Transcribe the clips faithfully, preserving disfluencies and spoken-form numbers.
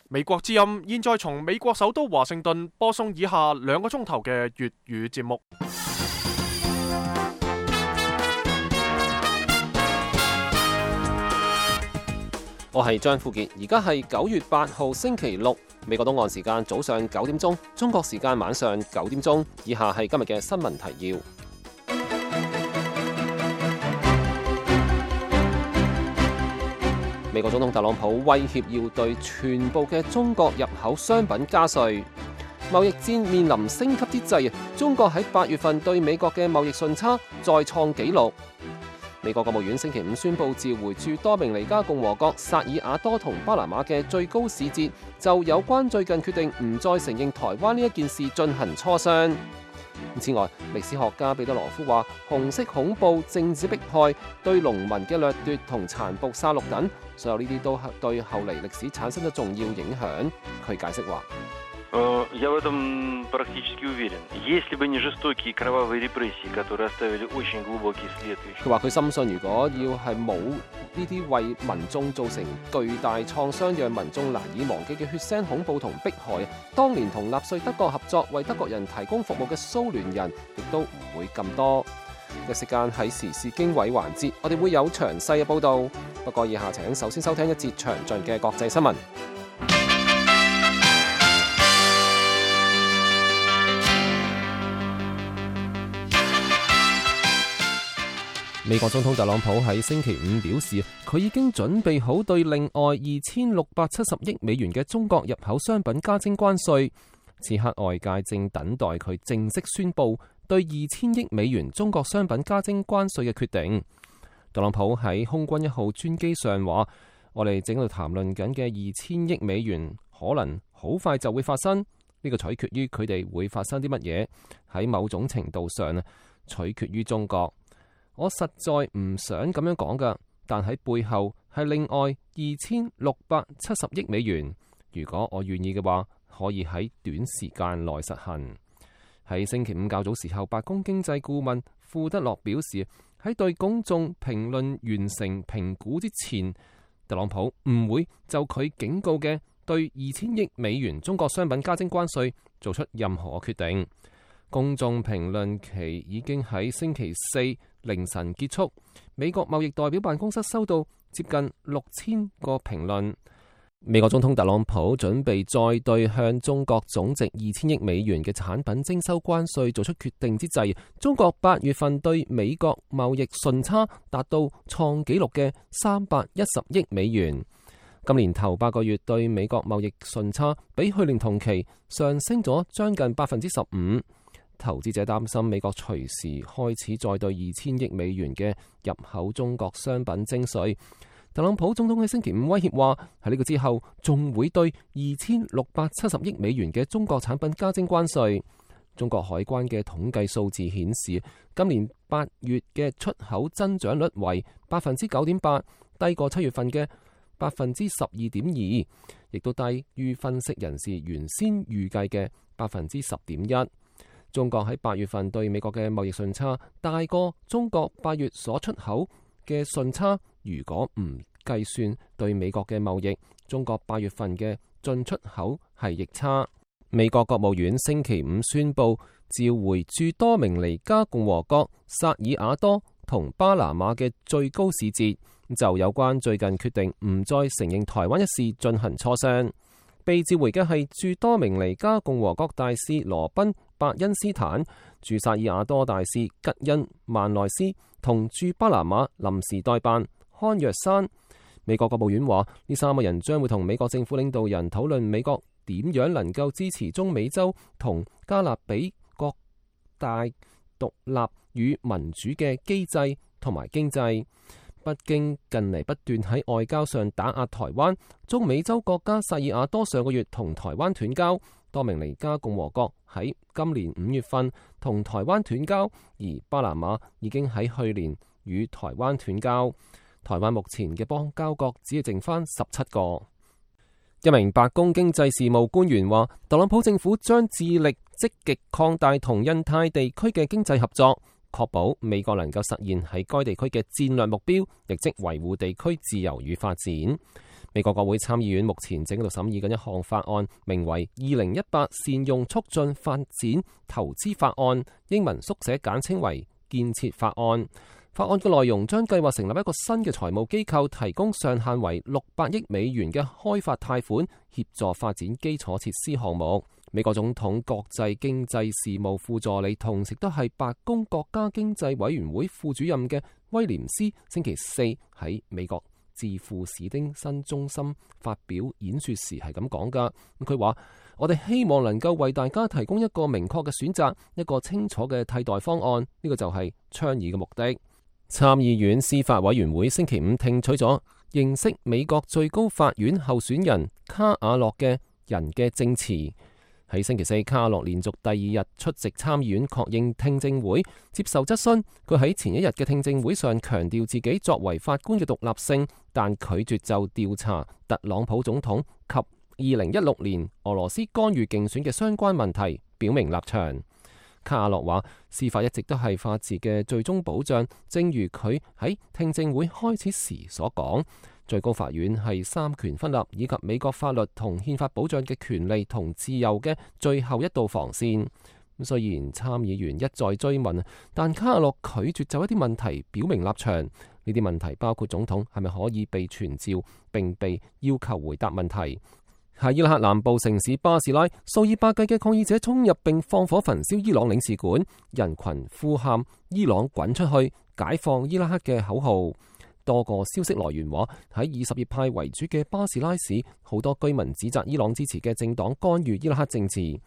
美國之音現在從美國首都華盛頓播送以下兩個鐘頭嘅粵語節目。我係張富傑，而家係九月八號星期六，美國東岸時間早上九點鐘，中國時間晚上九點鐘。以下係今日嘅新聞提要。美國總統特朗普威脅要對全部嘅中國入口商品加稅。貿易戰面臨升級之際，中國喺八月份對美國嘅貿易順差再創紀錄。美國國務院星期五宣布召回駐多明尼加共和國、薩爾瓦多同巴拿馬嘅最高使節，就有關最近決定唔再承認台灣呢一件事進行磋商。此外，歷史學家彼得羅夫話，紅色恐怖、政治迫害、對農民嘅掠奪同殘暴殺戮等，所有呢啲都對後嚟歷史產生咗重要影響。佢解釋話：Я в этом практически уверен. Если бы не жестокие кровавые репрессии, которые оставили очень глубокий след. 佢話佢深信，如果要係冇呢啲為民眾造成巨大創傷、讓民眾難以忘記嘅血腥恐怖同迫害，當年同納粹德國合作為德國人提供服務嘅蘇聯人，亦都唔會咁多。一時間喺時事經緯環節，我哋會有詳細嘅報導。不過以下請首先收聽一節詳盡嘅國際新聞。美國總統特朗普喺星期五表示，佢已經準備好對另外二千六百七十億美元嘅中國入口商品加徵關稅。此刻外界正等待佢正式宣布對二千億美元中國商品加徵關稅嘅決定。特朗普喺空軍一號專機上話：我哋正喺度談論緊嘅二千億美元可能好快就會發生，呢個取決於佢哋會發生啲乜嘢。喺某種程度上啊，取決於中國。我實在唔想咁樣講㗎，但喺背後係另外二千六百七十億美元。如果我願意嘅話，可以喺短時間內實行。喺星期五較早時候，白宮經濟顧問庫德洛表示，喺對公眾評論完成評估之前，特朗普唔會就佢警告嘅對二千億美元中國商品加徵關稅做出任何決定。公眾評論期已經喺星期四凌晨結束。美國貿易代表辦公室收到接近六千個評論。美國總統特朗普準備再對向中國總值二千億美元嘅產品徵收關稅做出決定之際，中國八月份對美國貿易順差達到創紀錄嘅三百一十億美元。今年頭八個月對美國貿易順差比去年同期上升咗將近百分之十五。投資者擔心美國隨時開始再對二千億美元嘅入口中國商品徵稅。特朗普總統喺星期五威脅話，喺呢個之後仲會對二千六百七十億美元嘅中國產品加徵關稅。中國海關嘅統計數字顯示，今年八月嘅出口增長率為百分之九點八，低過七月份嘅百分之十二點二，亦都低於分析人士原先預計嘅百分之十點一。中國喺八月份對美國嘅貿易順差大過中國八月所出口嘅順差。如果唔計算對美國嘅貿易，中國八月份嘅進出口係逆差。美國國務院星期五宣布召回駐多明尼加共和國、薩爾瓦多同巴拿馬嘅最高使節，就有關最近決定唔再承認台灣一事進行磋商。被召回嘅係駐多明尼加共和國大使羅賓伯恩斯坦、駐薩爾瓦多大使吉恩曼內斯同駐巴拿馬臨時代辦康若山。美國國務院話，呢三個人將會同美國政府領導人討論美國點樣能夠支持中美洲同加勒比各大獨立與民主嘅機制同埋經濟。北京近嚟不斷喺外交上打壓台灣，中美洲國家薩爾瓦多上個月同台灣斷交，多明尼加共和國喺今年五月份同台灣斷交，而巴拿馬已經喺去年與台灣斷交。台灣目前嘅邦交國只係剩翻十七個。一名白宮經濟事務官員話，特朗普政府將致力積極擴大同印太地區嘅經濟合作，確保美國能夠實現喺該地區嘅戰略目標，亦即維護地區自由與發展。美國國會參議院目前正喺度審議緊一項法案，名為《二零一八善用促進發展投資法案》，英文縮寫簡稱為建設法案。法案嘅內容將計劃成立一個新嘅財務機構，提供上限為六百億美元嘅開發貸款，協助發展基礎設施項目。美國總統國際經濟事務副助理，同時都係白宮國家經濟委員會副主任嘅威廉斯，星期四喺美國智庫史丁森中心發表演說時係咁講噶。佢話：我哋希望能夠為大家提供一個明確嘅選擇，一個清楚嘅替代方案。呢個就係倡議嘅目的。參議院司法委員會星期五聽取咗認識美國最高法院候選人卡瓦諾嘅人嘅證詞。喺星期四，卡瓦諾連續第二日出席參議院確認聽證會，接受質詢。佢喺前一日嘅聽證會上強調自己作為法官嘅獨立性，但拒絕就調查特朗普總統及二零一六年俄羅斯干預競選嘅相關問題表明立場。卡瓦諾話：司法一直都係法治嘅最終保障，正如佢喺聽證會開始時所講。最高法院係三權分立以及美國法律同憲法保障嘅權利同自由嘅最後一道防線。雖然參議員一再追問，但卡瓦諾拒絕就一啲問題表明立場。呢啲問題包括總統係咪可以被傳召並被要求回答問題。喺伊拉克南部城市巴士拉，數以百計嘅抗議者衝入並放火焚燒伊朗領事館，人群呼喊伊朗滾出去、解放伊拉克嘅口號。多個消息來源話，喺以什葉派為主嘅巴士拉市，好多居民指責伊朗支持嘅政黨干預伊拉克政治。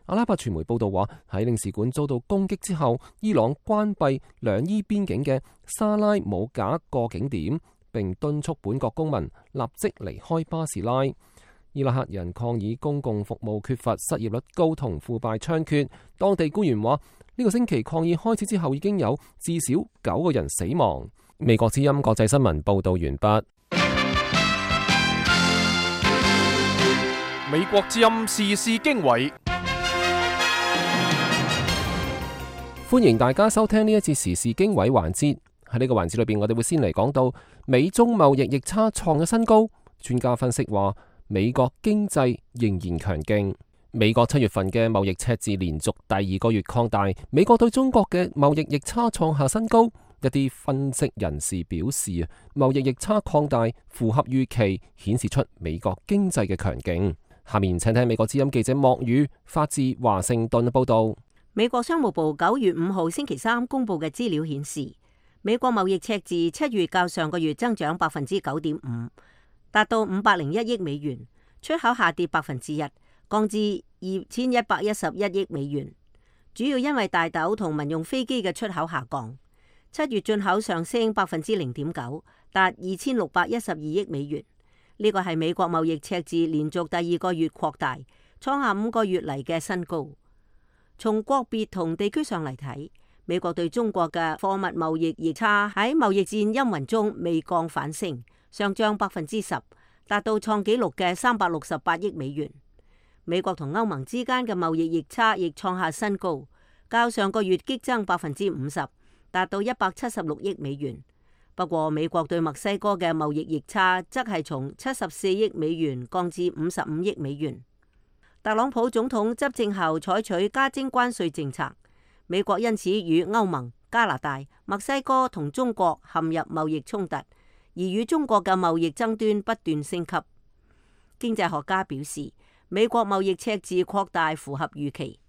阿拉伯傳媒報道話，喺領事館遭到攻擊之後，伊朗關閉兩伊邊境嘅沙拉姆賈過境點，並敦促本國公民立即離開巴士拉。伊拉克人抗議公共服務缺乏、失業率高同腐敗猖獗。當地官員話，呢個星期抗議開始之後，已經有至少九個人死亡。美國之音國際新聞報道完畢。美國之音時事經緯，歡迎大家收聽呢一節時事經緯環節。喺呢個環節裏邊，我哋會先嚟講到美中貿易逆差創咗新高。專家分析話，美國經濟仍然強勁。美國七月份嘅貿易赤字連續第二個月擴大，美國對中國嘅貿易逆差創下新高。一啲分析人士表示啊，貿易逆差擴大符合預期，顯示出美國經濟嘅強勁。下面請聽美國之音記者莫宇發自華盛頓嘅報道。美國商務部九月五號星期三公布嘅資料顯示，美國貿易赤字七月較上個月增長百分之九點五，達到五百零一億美元，出口下跌百分之一，降至二千一百一十一億美元，主要因為大豆同民用飛機嘅出口下降。七月進口上升百分之零點九，達二千六百一十二億美元。呢個係美國貿易赤字連續第二個月擴大，創下五個月嚟嘅新高。從國別同地區上嚟睇，美國對中國嘅貨物貿易逆差喺貿易戰陰雲中未降反升，上漲百分之十，達到創紀錄嘅三百六十八億美元。美國同歐盟之間嘅貿易逆差亦創下新高，較上個月激增百分之五十。達到一百七十六億美元。不過，美國對墨西哥嘅貿易逆差則係從七十四億美元降至五十五億美元。特朗普總統執政後採取加徵關稅政策，美國因此與歐盟、加拿大、墨西哥同中國陷入貿易衝突，而與中國嘅貿易爭端不斷升級。經濟學家表示，美國貿易赤字擴大符合預期。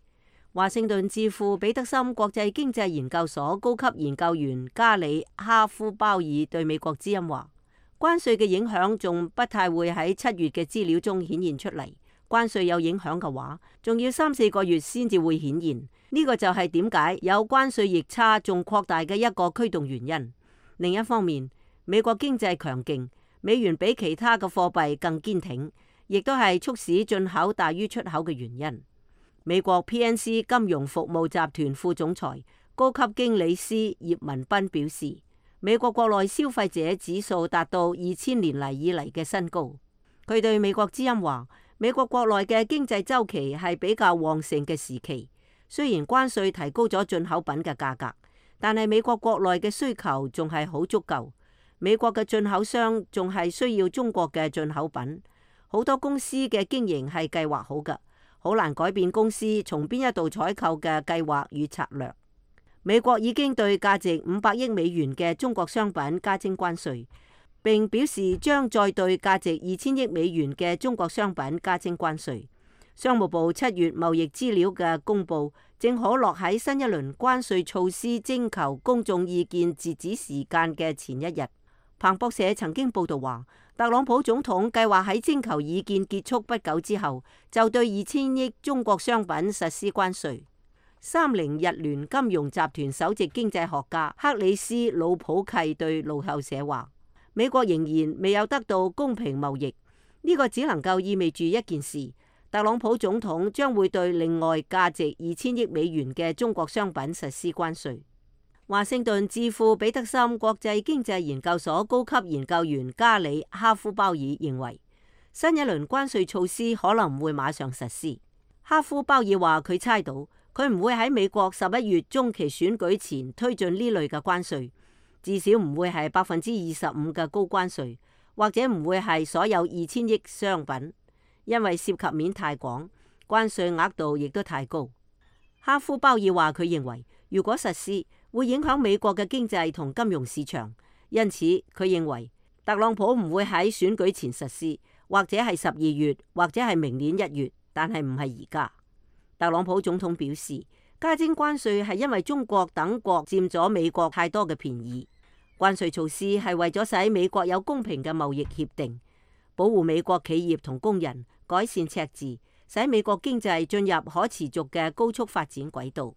華盛頓智庫彼得森國際經濟研究所高級研究員加里哈夫鮑爾對美國之音話：關稅嘅影響仲不太會喺七月嘅資料中顯現出嚟。關稅有影響嘅話，仲要三四個月先至會顯現。呢個就係點解有關稅逆差仲擴大嘅一個驅動原因。另一方面，美國經濟強勁，美元比其他嘅貨幣更堅挺，亦都係促使進口大於出口嘅原因。美國 P N C 金融服務集團副總裁、高級經理師葉文斌表示，美國國內消費者指數達到二千年嚟以嚟嘅新高。佢對美國之音話，美國國內嘅經濟週期係比較旺盛嘅時期，雖然關稅提高咗進口品嘅價格，但係美國國內嘅需求仲係好足夠。美國嘅進口商仲係需要中國嘅進口品，好多公司嘅經營係計劃好㗎，好難改變公司從邊一度採購嘅計劃與策略。美國已經對價值五百億美元嘅中國商品加徵關稅，並表示將再對價值二千億美元嘅中國商品加徵關稅。商務部七月貿易資料嘅公佈，正可落喺新一輪關稅措施徵求公眾意見截止時間嘅前一日。彭博社曾經報導話，特朗普總統計劃喺徵求意見結束不久之後，就對二千億中國商品實施關稅。三菱日聯金融集團首席經濟學家克里斯魯普契對路透社話，美國仍然未有得到公平貿易，呢個只能夠意味住一件事，特朗普總統將會對另外價值二千億美元嘅中國商品實施關稅。華盛頓智庫彼得森國際經濟研究所高級研究員加里哈夫鮑爾認為，新一輪關稅措施可能唔會馬上實施。哈夫鮑爾話佢猜到，佢唔會喺美國十一月中期選舉前推進呢類嘅關稅，至少唔會係百分之二十五嘅高關稅，或者唔會係所有二千億商品，因為涉及面太廣，關稅額度亦都太高。哈夫鮑爾話佢認為，如果實施，會影響美國嘅經濟同金融市場，因此佢認為特朗普唔會喺選舉前實施，或者係十二月，或者係明年一月，但係唔係而家。特朗普總統表示，加徵關稅係因為中國等國佔咗美國太多嘅便宜。關稅措施係為咗使美國有公平嘅貿易協定，保護美國企業同工人，改善赤字，使美國經濟進入可持續嘅高速發展軌道。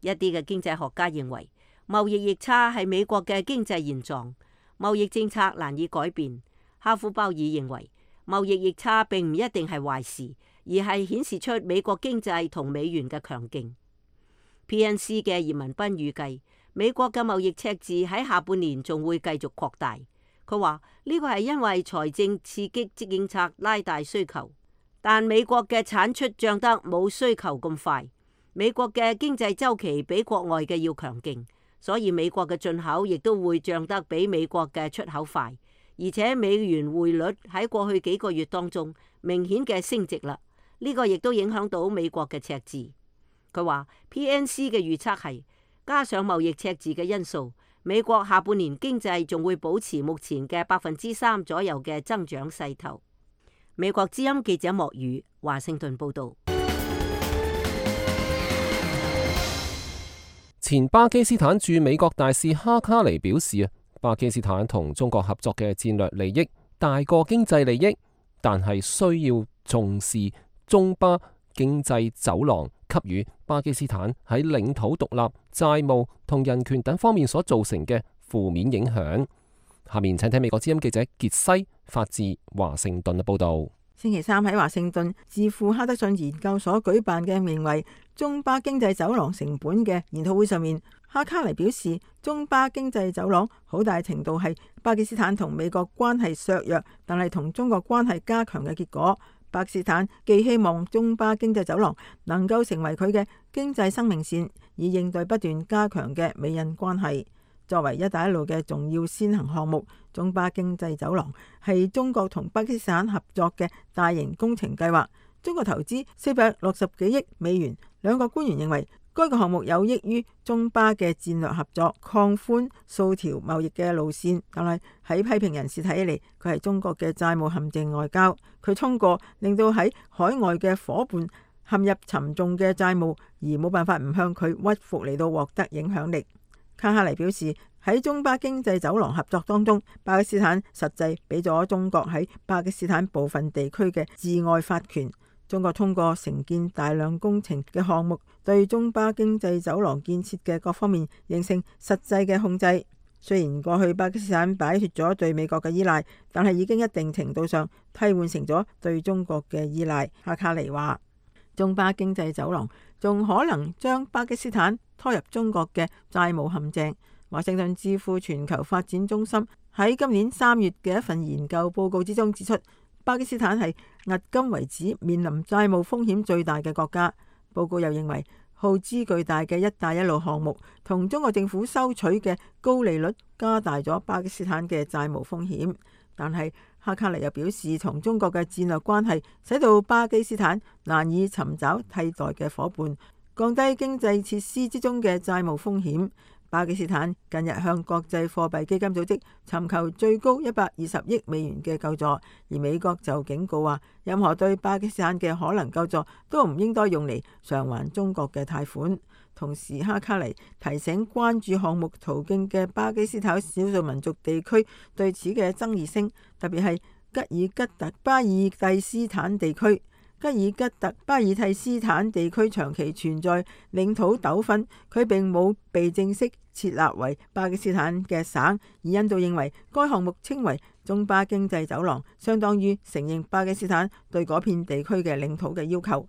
一啲嘅經濟學家認為，貿易逆差係美國嘅經濟現狀，貿易政策難以改變。哈夫鮑爾認為，貿易逆差並唔一定係壞事，而係顯示出美國經濟同美元嘅強勁。P N C 嘅葉文斌預計，美國嘅貿易赤字喺下半年仲會繼續擴大。佢話呢個係因為財政刺激政策拉大需求，但美國嘅產出漲得冇需求咁快。美國嘅經濟週期比國外嘅要強勁，所以美國嘅進口亦都會漲得比美國嘅出口快。而且美元匯率喺過去幾個月當中明顯嘅升值啦，呢個亦都影響到美國嘅赤字。佢話 P N C 嘅預測係加上貿易赤字嘅因素，美國下半年經濟仲會保持目前嘅百分之三左右嘅增長勢頭。美國之音記者莫宇華盛頓報道。前巴基斯坦駐美國大使哈卡尼表示啊，巴基斯坦同中國合作嘅戰略利益大過經濟利益，但係需要重視中巴經濟走廊給予巴基斯坦喺領土獨立、債務同人權等方面所造成嘅負面影響。下面請聽美國之音記者傑西發自華盛頓嘅報道。星期三喺華盛頓智庫哈德遜研究所舉辦嘅名為中巴經濟走廊成本嘅研討會上面，哈卡尼表示，中巴經濟走廊好大程度係巴基斯坦同美國關係削弱，但係同中國關係加強嘅結果。巴基斯坦既希望中巴經濟走廊能夠成為佢嘅經濟生命線，以應對不斷加強嘅美印關係。作為一帶一路嘅重要先行項目，中巴經濟走廊係中國同巴基斯坦合作嘅大型工程計劃。中國投資四百六十幾億美元。兩個官員認為，該個項目有益於中巴嘅戰略合作，擴寬數條貿易嘅路線。但係喺批評人士睇起嚟，佢係中國嘅債務陷阱外交。佢通過令到喺海外嘅夥伴陷入沉重嘅債務，而冇辦法唔向佢屈服嚟到獲得影響力。卡哈尼表示，喺中巴經濟走廊合作當中，巴基斯坦實際俾咗中國喺巴基斯坦部分地區嘅治外法權。中國通過承建大量工程嘅項目，對中巴經濟走廊建設嘅各方面形成實際嘅控制。雖然過去巴基斯坦擺脫咗對美國嘅依賴，但係已經一定程度上替換成咗對中國嘅依賴。哈卡尼話，中巴經濟走廊仲可能將巴基斯坦拖入中國嘅債務陷阱。華盛頓智庫全球發展中心喺今年三月嘅一份研究報告之中指出，巴基斯坦係迄今為止面臨債務風險最大嘅國家。報告又認為，耗資巨大嘅一帶一路項目同中國政府收取嘅高利率，加大咗巴基斯坦嘅債務風險。但係哈卡尼又表示，從中國嘅戰略關係使到巴基斯坦難以尋找替代嘅伙伴，降低經濟設施之中嘅債務風險。巴基斯坦近日向國際貨幣基金組織尋求最高一百二十億美元嘅救助，而美國就警告話，任何對巴基斯坦嘅可能救助都唔應該用嚟償還中國嘅貸款。同時，哈卡尼提醒關注項目途徑嘅巴基斯坦少數民族地區對此嘅爭議性，特別係吉爾吉特巴爾蒂斯坦地區。吉爾吉特巴爾蒂斯坦地區長期存在領土糾紛，佢並冇被正式設立為巴基斯坦嘅省，而印度認為該項目稱為中巴經濟走廊，相當於承認巴基斯坦對嗰片地區嘅領土嘅要求。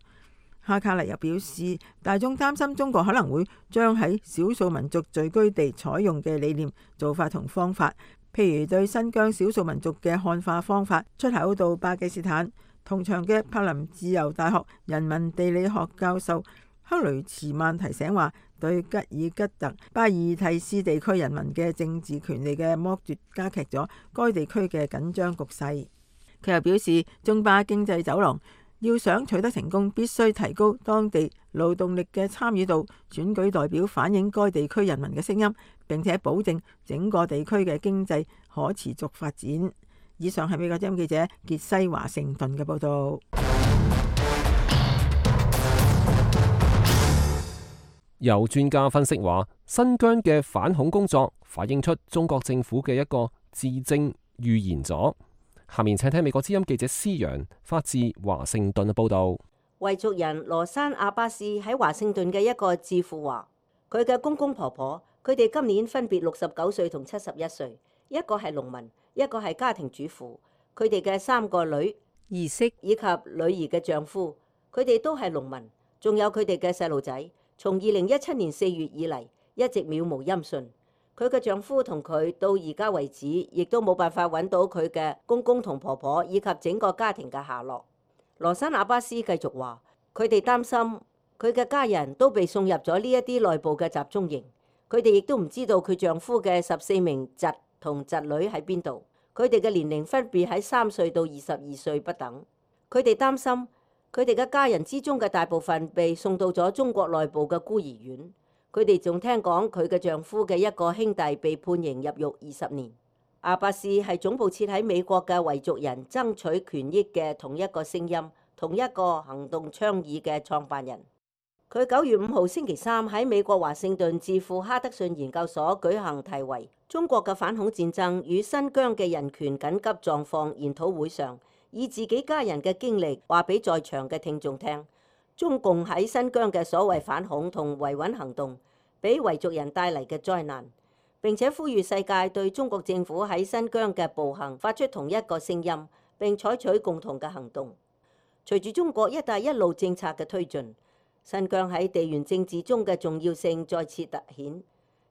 哈卡尼又表示，大眾擔心中國可能會將喺少數民族聚居地採用嘅理念、做法同方法，譬如對新疆少數民族嘅漢化方法出口到巴基斯坦。同場嘅柏林自由大學人民地理學教授克雷茨曼提醒話，對吉爾吉特巴爾蒂斯地區人民嘅政治權利嘅剝奪，加劇咗該地區嘅緊張局勢。佢又表示，中巴經濟走廊要想取得成功，必須提高當地勞動力嘅參與度，選舉代表反映該地區人民嘅聲音，並且保證整個地區嘅經濟可持續發展。以上係美國之音記者傑西華盛頓嘅報道。有專家分析話，新疆嘅反恐工作反映出中國政府嘅一個治政預言咗。下面請聽美國之音記者施陽發自華盛頓嘅報道。維族人羅山阿巴斯喺華盛頓嘅一個智庫話，佢嘅公公婆婆，佢哋今年分別六十九歲同七十一歲，一個係農民，一個係家庭主婦，佢哋嘅三個女兒媳以及女兒嘅丈夫，佢哋都係農民，仲有佢哋嘅細路仔，從二零一七年四月以嚟一直渺無音訊。佢嘅丈夫同佢到而家為止，亦都冇辦法揾到佢嘅公公同婆婆以及整個家庭嘅下落。羅山阿巴斯繼續話，佢哋擔心佢嘅家人都被送入咗呢一啲內部嘅集中營，佢哋亦都唔知道佢丈夫嘅十四名侄同侄女喺邊度，佢哋嘅年齡分別喺三歲到二十二歲不等。佢哋擔心佢哋嘅家人之中嘅大部分被送到咗中國內部嘅孤兒院。佢哋仲聽講佢嘅丈夫嘅一個兄弟被判刑入獄二十年。阿巴斯係總部設喺美國嘅維族人爭取權益嘅同一個聲音、同一個行動倡議嘅創辦人。佢九月五號星期三喺美國華盛頓智庫哈德遜研究所舉行題為《中國嘅反恐戰爭與新疆嘅人權緊急狀況》研討會上，以自己家人嘅經歷話俾在場嘅聽眾聽，中共喺新疆嘅所謂反恐同維穩行動俾維族人帶嚟嘅災難，並且呼籲世界對中國政府喺新疆嘅暴行發出同一個聲音，並採取共同嘅行動。隨住中國一帶一路政策嘅推進，新疆喺地緣政治中嘅重要性再次凸顯，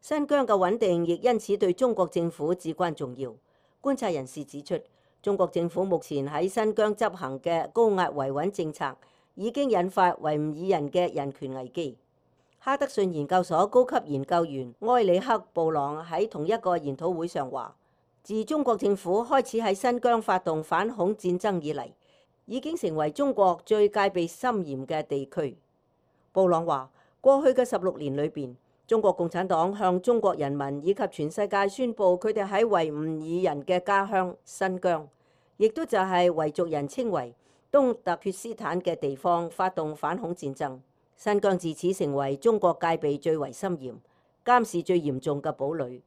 新疆嘅穩定亦因此對中國政府至關重要。觀察人士指出，中國政府目前喺新疆執行嘅高壓維穩政策已經引發維吾爾人嘅人權危機。哈德遜研究所高級研究員埃里克布朗喺同一個研討會上話，自中國政府開始喺新疆發動反恐戰爭以嚟，已經成為中國最戒備森嚴嘅地區。布朗話，過去嘅十六年裏邊，中國共產黨向中國人民以及全世界宣布佢哋喺維吾爾人嘅家鄉新疆，亦都就係維族人稱為東突厥斯坦嘅地方發動反恐戰爭。新疆自此成為中國戒備最為森嚴、監視最嚴重嘅堡壘。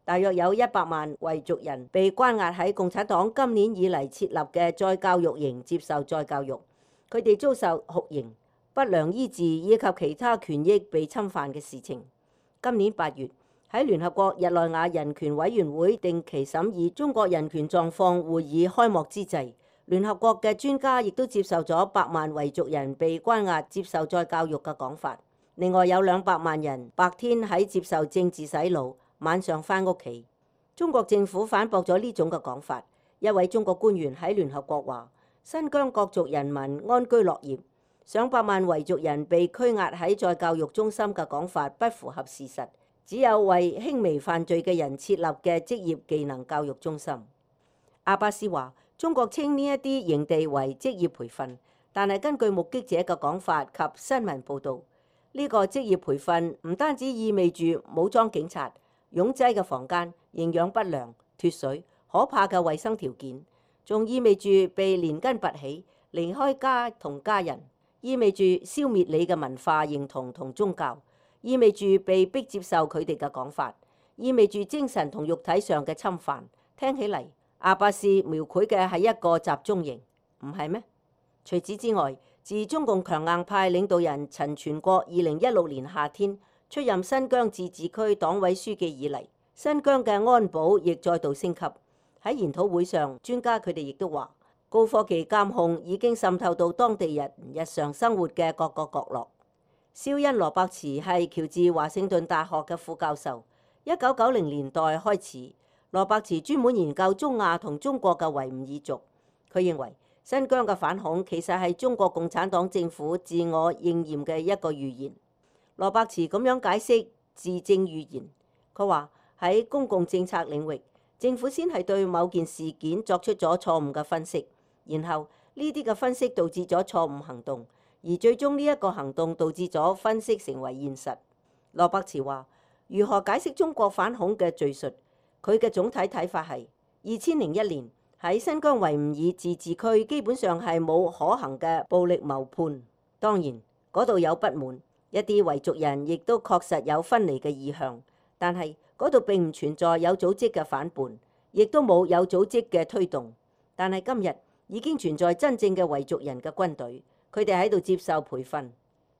大約有一百萬維族人被關押喺共產黨今年以嚟設立嘅再教育營接受再教育，佢哋遭受酷刑、不良醫治以及其他權益被侵犯嘅事情。今年八月喺聯合國日內瓦人權委員會定期審議中國人權狀況會議開幕之際，聯合國嘅專家亦都接受咗百萬維族人被關押接受再教育嘅講法。另外有兩百萬人白天喺接受政治洗腦，晚上返屋企。中國政府反駁咗呢種嘅講法。一位中國官員喺聯合國話，新疆各族人民安居樂業，上百萬維族人被拘押喺再教育中心嘅講法不符合事實，只有為輕微犯罪嘅人設立嘅職業技能教育中心。阿巴斯話：中國稱呢一啲營地為職業培訓，但係根據目擊者嘅講法及新聞報導，呢個職業培訓唔單止意味住武裝警察、擁擠嘅房間、營養不良、脫水、可怕嘅衛生條件，仲意味住被連根拔起、離開家同家人，意味住消滅你嘅文化認同同宗教，意味住被逼接受佢哋嘅講法，意味住精神同肉體上嘅侵犯。聽起嚟，阿巴斯描繪嘅係一個集中營，唔係咩？除此之外，自中共強硬派領導人陳全國二零一六年夏天出任新疆自治區黨委書記以嚟，新疆嘅安保亦再度升級。喺研討會上，專家佢哋亦都話，高科技監控已經滲透到當地人日常生活嘅各個角落。肖恩羅伯茨係喬治華盛頓大學嘅副教授。一九九零年代開始，羅伯茨專門研究中亞同中國嘅維吾爾族。佢認為新疆嘅反恐其實係中國共產黨政府自我應驗嘅一個預言。羅伯茨咁樣解釋自證預言，佢話喺公共政策領域，政府先係對某件事件作出咗錯誤嘅分析，然後呢啲嘅分析導致咗錯誤行動，而最終呢一個行動導致咗分析成為現實。羅伯茨話：如何解釋中國反恐嘅敘述？佢嘅總體睇法係二千零一年喺新疆維吾爾自治區基本上係冇可行嘅暴力謀判。當然嗰度有不滿，一啲維族人亦都確實有分離嘅意向，但係嗰度並唔存在有組織嘅反叛，亦都冇有組織嘅推動。但係今日已經存在真正嘅維族人嘅軍隊，佢哋喺度接受培訓。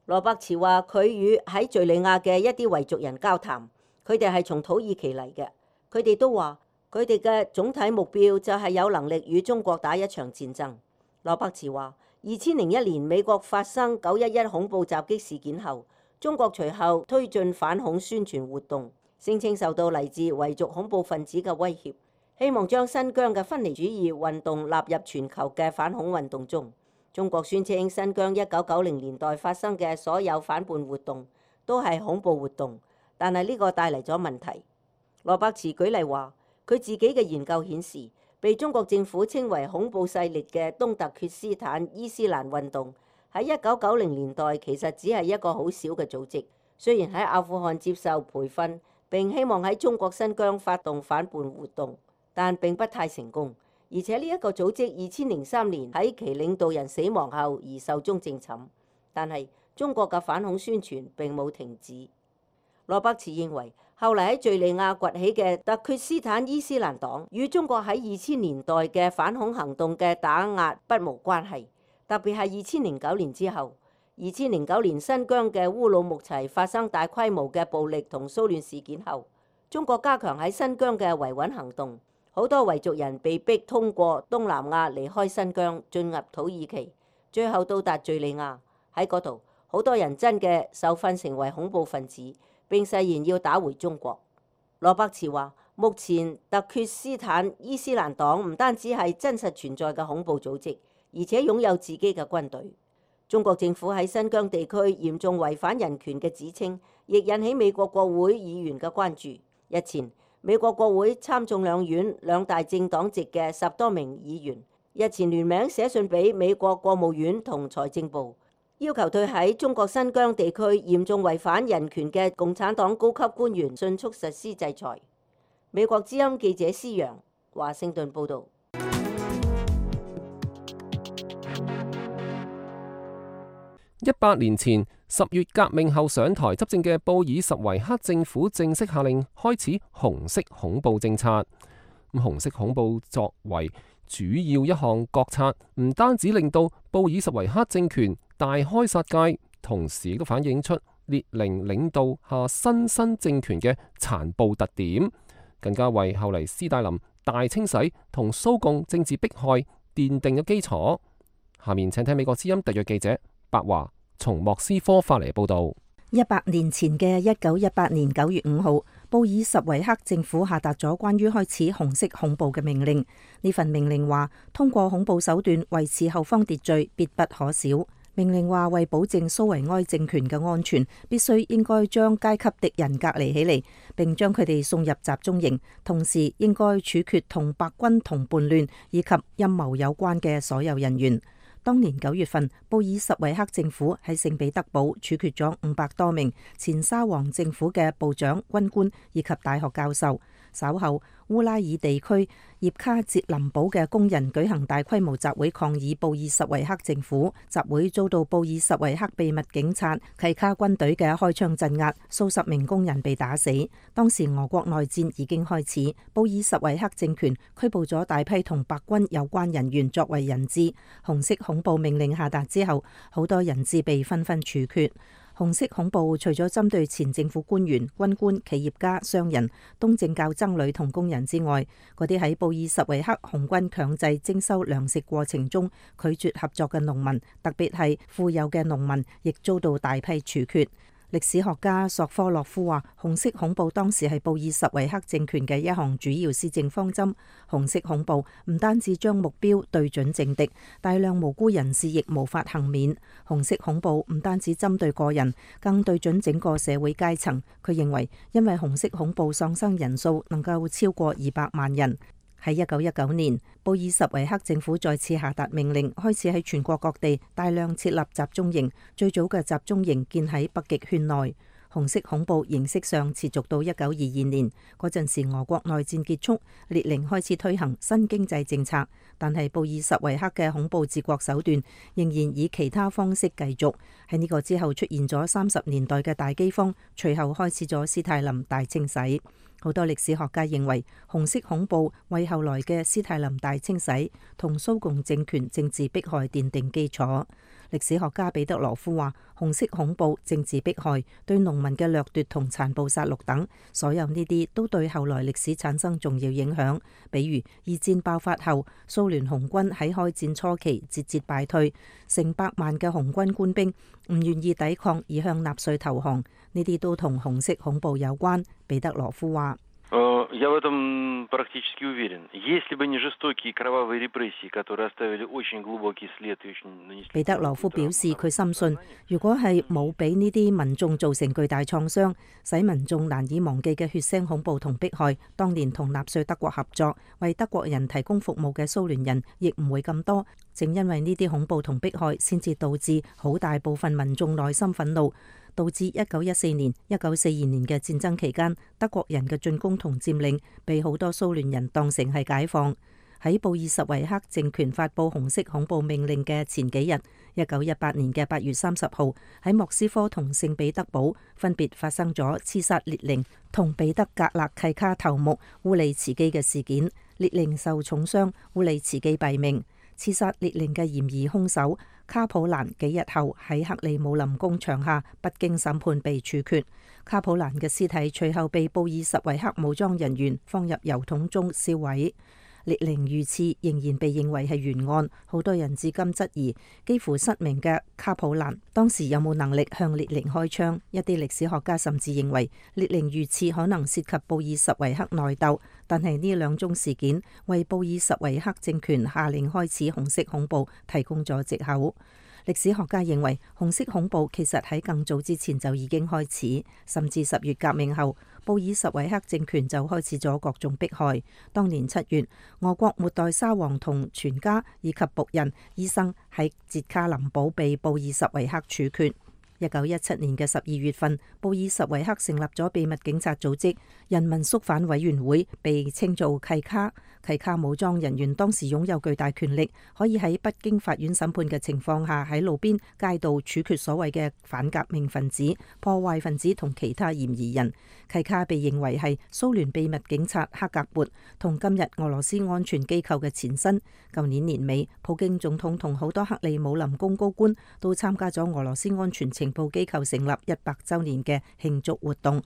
羅伯茨話：佢與喺敍利亞嘅一啲維族人交談，佢哋係從土耳其嚟嘅，佢哋都話佢哋嘅總體目標就係有能力與中國打一場戰爭。羅伯茨話：二千零一年美國發生九一一恐怖襲擊事件後，中國隨後推進反恐宣傳活動，聲稱受到嚟自維族恐怖分子嘅威脅，希望將新疆嘅分離主義運動納入全球嘅反恐運動中。中國宣稱新疆一九九零年代發生嘅所有反叛活動都係恐怖活動，但係呢個帶嚟咗問題。羅伯茨舉例話，佢自己嘅研究顯示，被中國政府稱為恐怖勢力嘅東突厥斯坦伊斯蘭運動喺一九九零年代其實只係一個好小嘅組織，雖然喺阿富汗接受培訓並希望喺中國新疆發動反叛活動，但並不太成功。而且呢一個組織二千零三年喺其領導人死亡後而壽終正寢，但係中國嘅反恐宣傳並冇停止。羅伯茨認為，後嚟喺敍利亞崛起嘅突厥斯坦伊斯蘭黨與中國喺二千年代嘅反恐行動嘅打壓不無關係，特別係二千零九年之後。二千零九年新疆嘅烏魯木齊發生大規模嘅暴力同騷亂事件後，中國加強喺新疆嘅維穩行動。好多維族人被逼通過東南亞離開新疆，進入土耳其，最後到達敍利亞。喺嗰度，好多人真嘅受訓成為恐怖分子，並誓言要打回中國。羅伯茨話：目前突厥斯坦伊斯蘭黨唔單止係真實存在嘅恐怖組織，而且擁有自己嘅軍隊。中國政府喺新疆地區嚴重違反人權嘅指稱，亦引起美國國會議員嘅關注。日前，美國國會參眾兩院兩大政黨籍嘅十多名議員日前聯名寫信俾美國國務院同財政部，要求對喺中國新疆地區嚴重違反人權嘅共產黨高級官員迅速實施制裁。美國之音記者施揚，華盛頓報導。一百年前十月革命後上台執政嘅布爾什維克政府正式下令開始紅色恐怖政策。咁紅色恐怖作為主要一項國策，唔單止令到布爾什維克政權大開殺戒，同時亦都反映出列寧領導下新生政權嘅殘暴特點，更加為後嚟斯大林大清洗同蘇共政治迫害奠定咗基礎。下面請聽美國之音特約記者白華從莫斯科發嚟報道。一百年前嘅一九一八年九月五號，布爾什維克政府下達咗關於開始紅色恐怖嘅命令。呢份命令話，通過恐怖手段維持後方秩序，必不可少。命令話為保證蘇維埃政權嘅安全，必須應該將階級敵人隔離起嚟，並將佢哋送入集中營，同時應該處決同白軍同叛亂以及陰謀有關嘅所有人員。當年九月份，布爾什維克政府喺聖彼得堡處決咗五百多名前沙皇政府嘅部長、軍官以及大學教授。稍後，烏拉爾地區葉卡捷林堡嘅工人舉行大規模集會抗議布爾什維克政府，集會遭到布爾什維克秘密警察契卡軍隊嘅開槍鎮壓，數十名工人被打死。當時俄國內戰已經開始，布爾什維克政權拘捕咗大批同白軍有關人員作為人質。紅色恐怖命令下達之後，好多人質被紛紛處決。紅色恐怖除咗針對前政府官員、軍官、企業家、商人、東正教僧侶同工人之外，嗰啲喺布爾什維克紅軍強制徵收糧食過程中拒絕合作嘅農民，特別係富有嘅農民，亦遭到大批處決。歷史學家索科洛夫話，紅色恐怖當時係布爾什維克政權嘅一項主要施政方針。紅色恐怖唔單止將目標對準政敵，大量無辜人士亦無法幸免。紅色恐怖唔單止針對個人，更對準整個社會階層。佢認為，因為紅色恐怖喪生人數能夠超過二百萬人。喺一九一九年，布爾什維克政府再次下達命令，開始喺全國各地大量設立集中營。最早嘅集中營建喺北極圈內。紅色恐怖形式上持續到一九二二年嗰陣時，俄國內戰結束，列寧開始推行新經濟政策，但係布爾什維克嘅恐怖治國手段仍然以其他方式繼續。喺呢個之後出現咗三十年代嘅大饑荒，隨後開始咗斯泰林大清洗。好多歷史學家認為，紅色恐怖為後來嘅斯泰林大清洗同蘇共政權政治迫害奠定基礎。歷史學家彼得羅夫話，紅色恐怖、政治迫害、對農民嘅掠奪同殘暴殺戮等，所有呢啲都對後來歷史產生重要影響。比如二戰爆發後，蘇聯紅軍喺開戰初期節節敗退，成百萬嘅紅軍官兵唔願意抵抗而向納粹投降，呢啲都同紅色恐怖有關。彼得羅夫話。Я в этом практически уверен. Если бы не жестокие кровавые репрессии, которые оставили очень глубокий след и очень нанесли. 彼得羅夫表示，佢深信，如果係冇俾呢啲民眾造成巨大創傷，使民眾難以忘記嘅血腥恐怖同迫害，當年同納粹德國合作為德國人提供服務嘅蘇聯人，亦唔會咁多。正因為呢啲恐怖同迫害，先至導致好大部分民眾內心憤怒。導致一九一四年、一九四二年嘅戰爭期間，德國人嘅進攻同佔領被好多蘇聯人當成係解放。喺布爾什維克政權發布紅色恐怖命令嘅前幾日，一九一八年嘅八月三十號，喺莫斯科同聖彼得堡分別發生咗刺殺列寧同彼得格勒契卡頭目烏利茨基嘅事件。列寧受重傷，烏利茨基斃命。刺殺列寧嘅嫌疑兇手卡普蘭幾日後喺克里姆林宮牆下不經審判被處決。卡普蘭嘅屍體隨後被布爾什維克武裝人員放入油桶中燒毀。列寧遇刺仍然被認為係懸案，好多人至今質疑幾乎失明嘅卡普蘭當時有冇能力向列寧開槍。一啲歷史學家甚至認為列寧遇刺可能涉及布爾什維克內鬥，但係呢兩宗事件為布爾什維克政權下令開始紅色恐怖提供咗藉口。歷史學家認為紅色恐怖其實喺更早之前就已經開始，甚至十月革命後，布爾什維克政權就開始咗各種迫害。當年七月，俄國末代沙皇同全家以及僕人、醫生喺捷卡林堡被布爾什維克處決。一九一七年嘅十二月份，布爾什維克成立咗秘密警察組織人民肅反委員會，被稱做契卡。契卡武裝人員當時擁有巨大權力，可以喺不經法院審判嘅情況下喺路邊街道處決所謂嘅反革命分子、破壞分子同其他嫌疑人。契卡被認為係蘇聯秘密警察克格勃同今日俄羅斯安全機構嘅前身。舊年年尾，普京總統同好多克里姆林宮高官都參加咗俄羅斯安全情報機構成立一百週年嘅慶祝活動。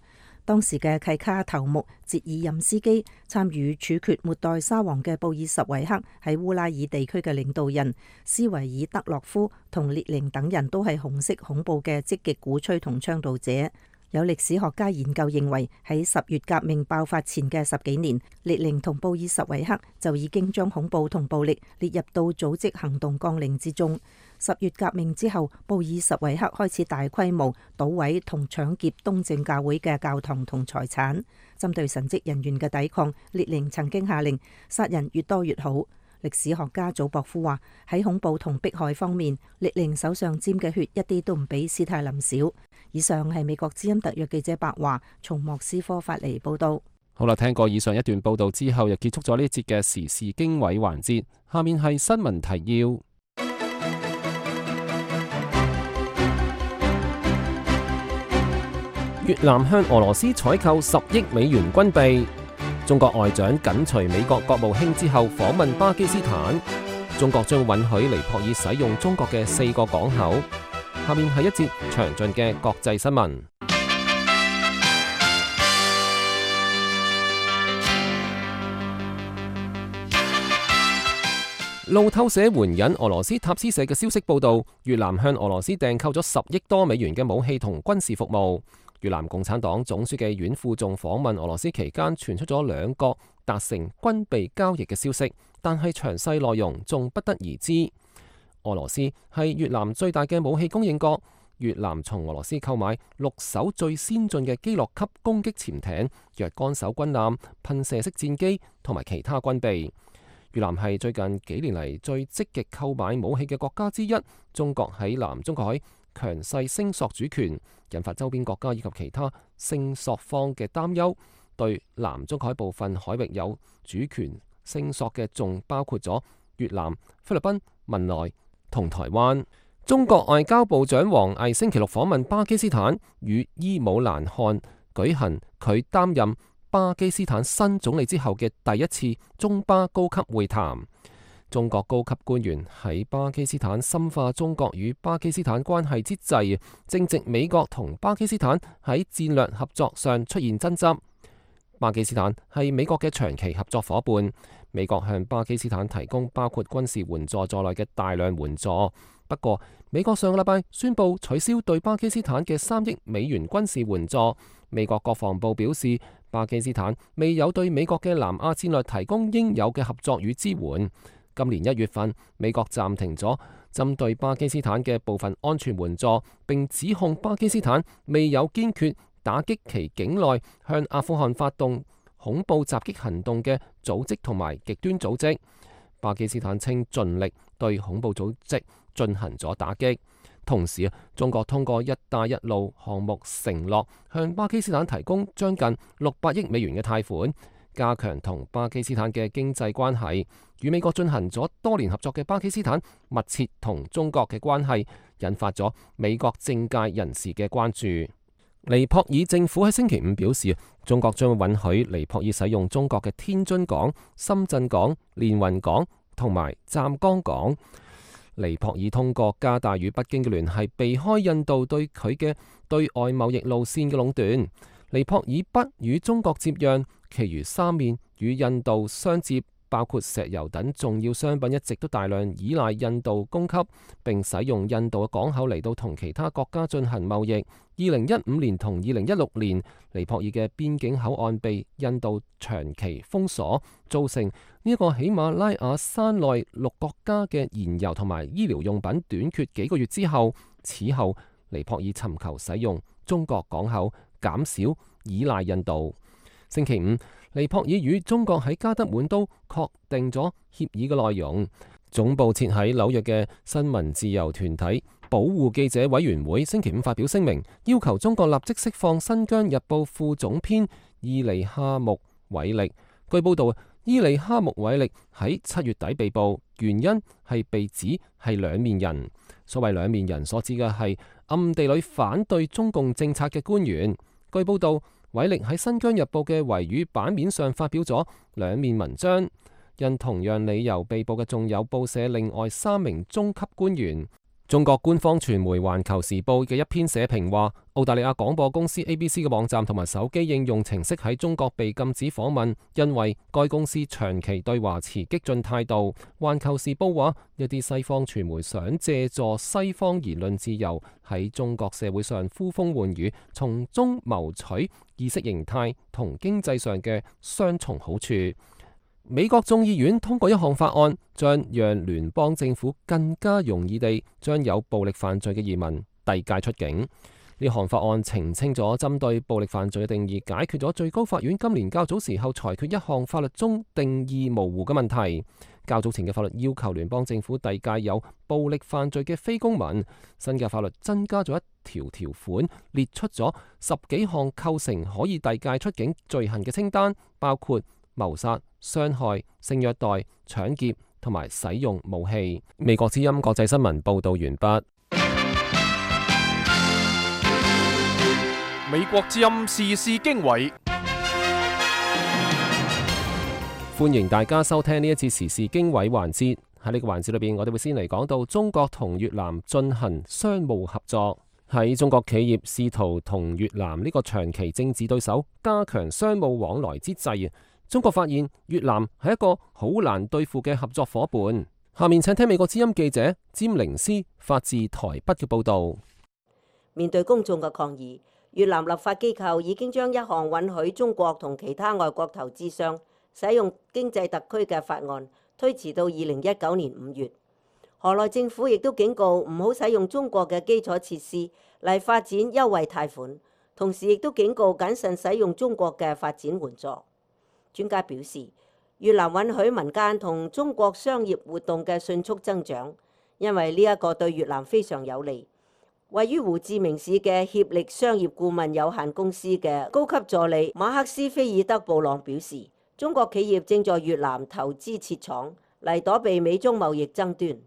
當時嘅契卡頭目捷爾任斯基參與處決末代沙皇嘅布爾什維克喺烏拉爾地區嘅領導人斯維爾德洛夫同列寧等人都係紅色恐怖嘅積極鼓吹同倡導者。有歷史學家研究認為，喺十月革命爆發前嘅十幾年，列寧同布爾什維克就已經將恐怖同暴力列入到組織行動綱領之中。十月革命之後，布爾什維克開始大規模搗毀同搶劫東正教會嘅教堂同財產。針對神職人員嘅抵抗，列寧曾經下令殺人越多越好。歷史學家祖博夫話，喺恐怖同迫害方面，列寧手上沾嘅血一啲都唔比史泰林少。以上係美國之音特約記者白華從莫斯科發嚟報道。好啦，聽過以上一段報道之後，又結束咗呢一節嘅時事經緯環節。下面係新聞提要。越南向俄羅斯採購十億美元軍備。中國外長緊隨美國國務卿之後訪問巴基斯坦。中國將允許尼泊爾使用中國嘅四個港口。下面係一節詳盡嘅國際新聞。路透社援引俄羅斯塔斯社嘅消息報道，越南向俄羅斯訂購咗十億多美元嘅武器同軍事服務。越南共產黨總書記阮富仲訪問俄羅斯期間，傳出咗兩國達成軍備交易嘅消息，但係詳細內容仲不得而知。俄羅斯係越南最大嘅武器供應國，越南從俄羅斯購買六艘最先進嘅基洛級攻擊潛艇、若干艘軍艦、噴射式戰機同埋其他軍備。越南係最近幾年嚟最積極購買武器嘅國家之一。中國喺南中國海強勢聲索主權，引發周邊國家以及其他聲索方嘅擔憂。對南中國海部分海域有主權聲索嘅，仲包括咗越南、菲律賓、文萊同台灣。中國外交部長王毅星期六訪問巴基斯坦，與伊姆蘭汗舉行佢擔任巴基斯坦新總理之後嘅第一次中巴高級會談。中國高級官員喺巴基斯坦深化中國與巴基斯坦關係之際，正值美國同巴基斯坦喺戰略合作上出現爭執。巴基斯坦係美國嘅長期合作伙伴，美國向巴基斯坦提供包括軍事援助在內嘅大量援助。不過，美國上個禮拜宣布取消對巴基斯坦嘅三億美元軍事援助。美國國防部表示，巴基斯坦未有對美國嘅南亞戰略提供應有嘅合作與支援。今年一月份，美國暫停咗針對巴基斯坦嘅部分安全援助，並指控巴基斯坦未有堅決打擊其境內向阿富汗發動恐怖襲擊行動嘅組織同埋極端組織。巴基斯坦稱盡力對恐怖組織進行咗打擊。同時，中國通過一帶一路項目承諾向巴基斯坦提供將近六百億美元嘅貸款，加強同巴基斯坦嘅經濟關係。與美國進行咗多年合作嘅巴基斯坦密切同中國嘅關係，引發咗美國政界人士嘅關注。尼泊爾政府喺星期五表示，中國將允許尼泊爾使用中國嘅天津港、深圳港、連雲港同埋湛江港。尼泊爾通過加大與北京嘅聯繫，避開印度對佢嘅對外貿易路線嘅壟斷。尼泊爾北與中國接壤，其餘三面與印度相接，包括石油等重要商品一直都大量依賴印度供給，並使用印度嘅港口嚟到同其他國家進行貿易。二零一五年同二零一六年，尼泊爾嘅邊境口岸被印度長期封鎖，造成呢一個喜馬拉雅山內六國家嘅燃油同埋醫療用品短缺幾個月之後，此後尼泊爾尋求使用中國港口，減少依賴印度。星期五，尼泊爾與中國喺加德滿都確定咗協議嘅內容。總部設喺紐約嘅新聞自由團體保護記者委員會星期五發表聲明，要求中國立即釋放新疆日報副總編伊利哈木韋力。據報道，伊利哈木韋力喺七月底被捕，原因係被指係兩面人。所謂兩面人所指嘅係暗地裏反對中共政策嘅官員。據報道，韋力喺新疆日報嘅維語版面上發表咗兩面文章。因同樣理由被捕嘅仲有報社另外三名中級官員。中國官方傳媒《環球時報》嘅一篇社評話，澳大利亞廣播公司 A B C 嘅網站同埋手機應用程式喺中國被禁止訪問，因為該公司長期對華持激進態度。《環球時報》話，一啲西方傳媒想借助西方言論自由喺中國社會上呼風喚雨，從中謀取意識形態同經濟上嘅雙重好處。美國眾議院通過一項法案，將讓聯邦政府更加容易地將有暴力犯罪嘅移民遞解出境。呢項法案澄清咗針對暴力犯罪嘅定義，解決咗最高法院今年較早時候裁決一項法律中定義模糊嘅問題。較早前嘅法律要求聯邦政府遞解有暴力犯罪嘅非公民，新嘅法律增加咗一條條款，列出咗十幾項構成可以遞解出境罪行嘅清單，包括謀殺、傷害、性虐待、搶劫同埋使用武器。美國之音國際新聞報道完畢。美國之音時事經緯，歡迎大家收聽呢一次時事經緯環節。喺呢個環節裏邊，我哋會先嚟講到中國同越南進行商務合作。喺中國企業試圖同越南呢個長期政治對手加強商務往來之際，中國發現越南係一個好難對付嘅合作夥伴。下面請聽美國之音記者詹玲斯發自台北嘅報導。面對公眾嘅抗議，越南立法機構已經將一項允許中國同其他外國投資商使用經濟特區嘅法案推遲到二零一九年五月。河內政府亦都警告唔好使用中國嘅基礎設施嚟發展優惠貸款，同時亦都警告謹慎使用中國嘅發展援助。專家表示，越南允許民間同中國商業活動嘅迅速增長，因為呢一個對越南非常有利。位於胡志明市嘅協力商業顧問有限公司嘅高級助理馬克斯菲爾德布朗表示，中國企業正在越南投資設廠嚟躲避美中貿易爭端。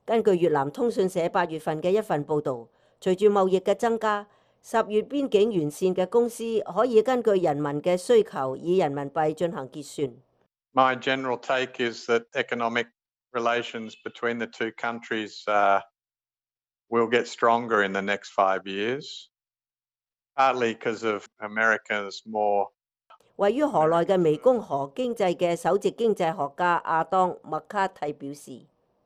根據越南通訊社八月份嘅一份報導，隨住貿易嘅增加，十月邊境完善嘅公司可以根據人民嘅需求以人民幣進行結算。My general take is that economic relations between the two countries uh, will get stronger in the next five years, partly because of America's more 位於河內嘅湄公河經濟嘅首席經濟學家阿當麥卡蒂表示，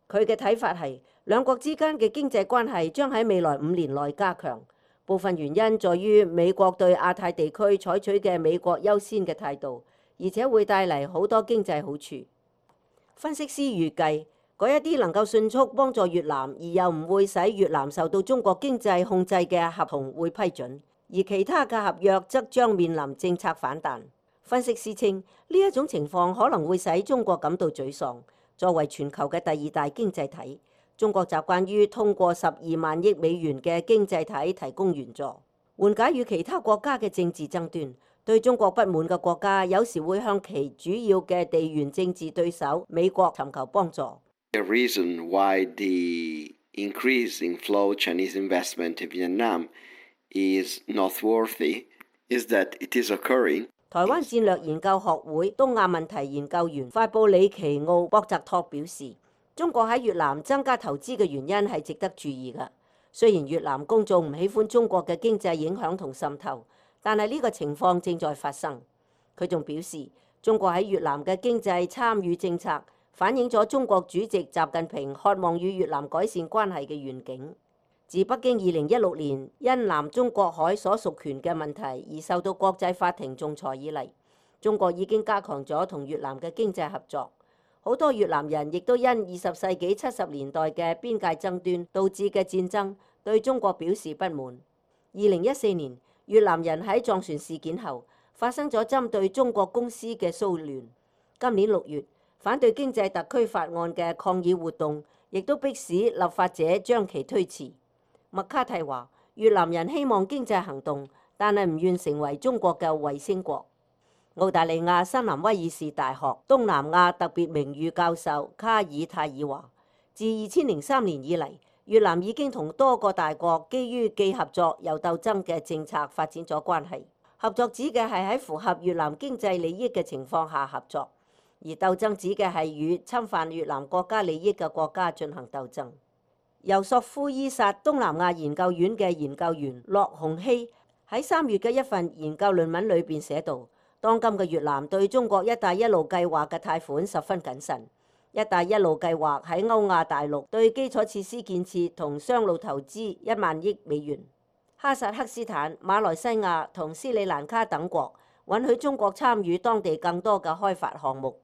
佢嘅睇法係兩國之間嘅經濟關係將喺未來五年內加強。部分原因在於美國對亞太地區採取嘅美國優先嘅態度，而且會帶嚟好多經濟好處。分析師預計，嗰一啲能夠迅速幫助越南而又唔會使越南受到中國經濟控制嘅合同會批准，而其他嘅合約則將面臨政策反彈。分析師稱，呢一種情況可能會使中國感到沮喪。作為全球嘅第二大經濟體，中國習慣於通過十二萬億美元嘅經濟體提供援助，緩解與其他國家嘅政治爭端。對中國不滿嘅國家有時會向其主要嘅地緣政治對手美國尋求幫助。The reason why the increase in flow Chinese investment in Vietnam is noteworthy is that it is occurring. 台灣戰略研究學會東亞問題研究員法布里奇奧博澤托表示，中國喺越南增加投資嘅原因係值得注意嘅。雖然越南公眾唔喜歡中國嘅經濟影響同滲透，但係呢個情況正在發生。佢仲表示，中國喺越南嘅經濟參與政策反映咗中國主席習近平渴望與越南改善關係嘅願景。自北京二零一六年因南中國海所屬權嘅問題而受到國際法庭仲裁以嚟，中國已經加強咗同越南嘅經濟合作。好多越南人亦都因二十世紀七十年代嘅邊界爭端導致嘅戰爭對中國表示不滿。二零一四年，越南人喺撞船事件後發生咗針對中國公司嘅騷亂。今年六月，反對經濟特區法案嘅抗議活動亦都迫使立法者將其推遲。麥卡蒂話：越南人希望經濟行動，但係唔願成為中國嘅衛星國。澳大利亞新南威爾士大學東南亞特別名譽教授卡爾泰爾話：自二千零三年以嚟，越南已經同多個大國基於既合作又鬥爭嘅政策發展咗關係。合作指嘅係喺符合越南經濟利益嘅情況下合作，而鬥爭指嘅係與侵犯越南國家利益嘅國家進行鬥爭。由索夫伊薩東南亞研究院嘅研究員駱洪熙喺三月嘅一份研究論文裏邊寫道，當今嘅越南對中國一帶一路計劃嘅貸款十分謹慎。一帶一路計劃喺歐亞大陸對基礎設施建設同商路投資一萬億美元。哈薩克斯坦、馬來西亞同斯里蘭卡等國允許中國參與當地更多嘅開發項目。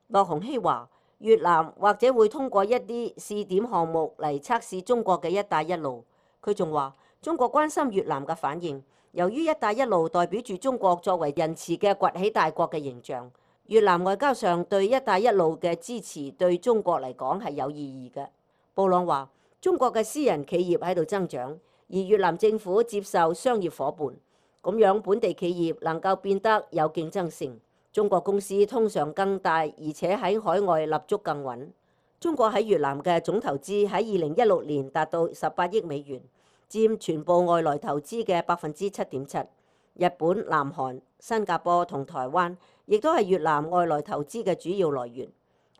駱洪熙話，越南或者會通過一啲試點項目嚟測試中國嘅一帶一路。佢仲話，中國關心越南嘅反應，由於一帶一路代表住中國作為仁慈嘅崛起大國嘅形象。越南外交上對一帶一路嘅支持對中國嚟講係有意義嘅。布朗話，中國嘅私人企業喺度增長，而越南政府接受商業夥伴，咁樣本地企業能夠變得有競爭性。中國公司通常更大，而且喺海外立足更穩。中國喺越南嘅總投資喺二零一六年達到十八億美元，佔全部外來投資嘅百分之七點七。日本、南韓、新加坡同台灣亦都係越南外來投資嘅主要來源。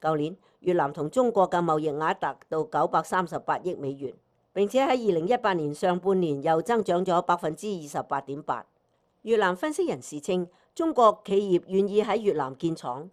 舊年越南同中國嘅貿易額達到九百三十八億美元，並且喺二零一八年上半年又增長咗百分之二十八點八。越南分析人士稱，中國企業願意喺越南建廠，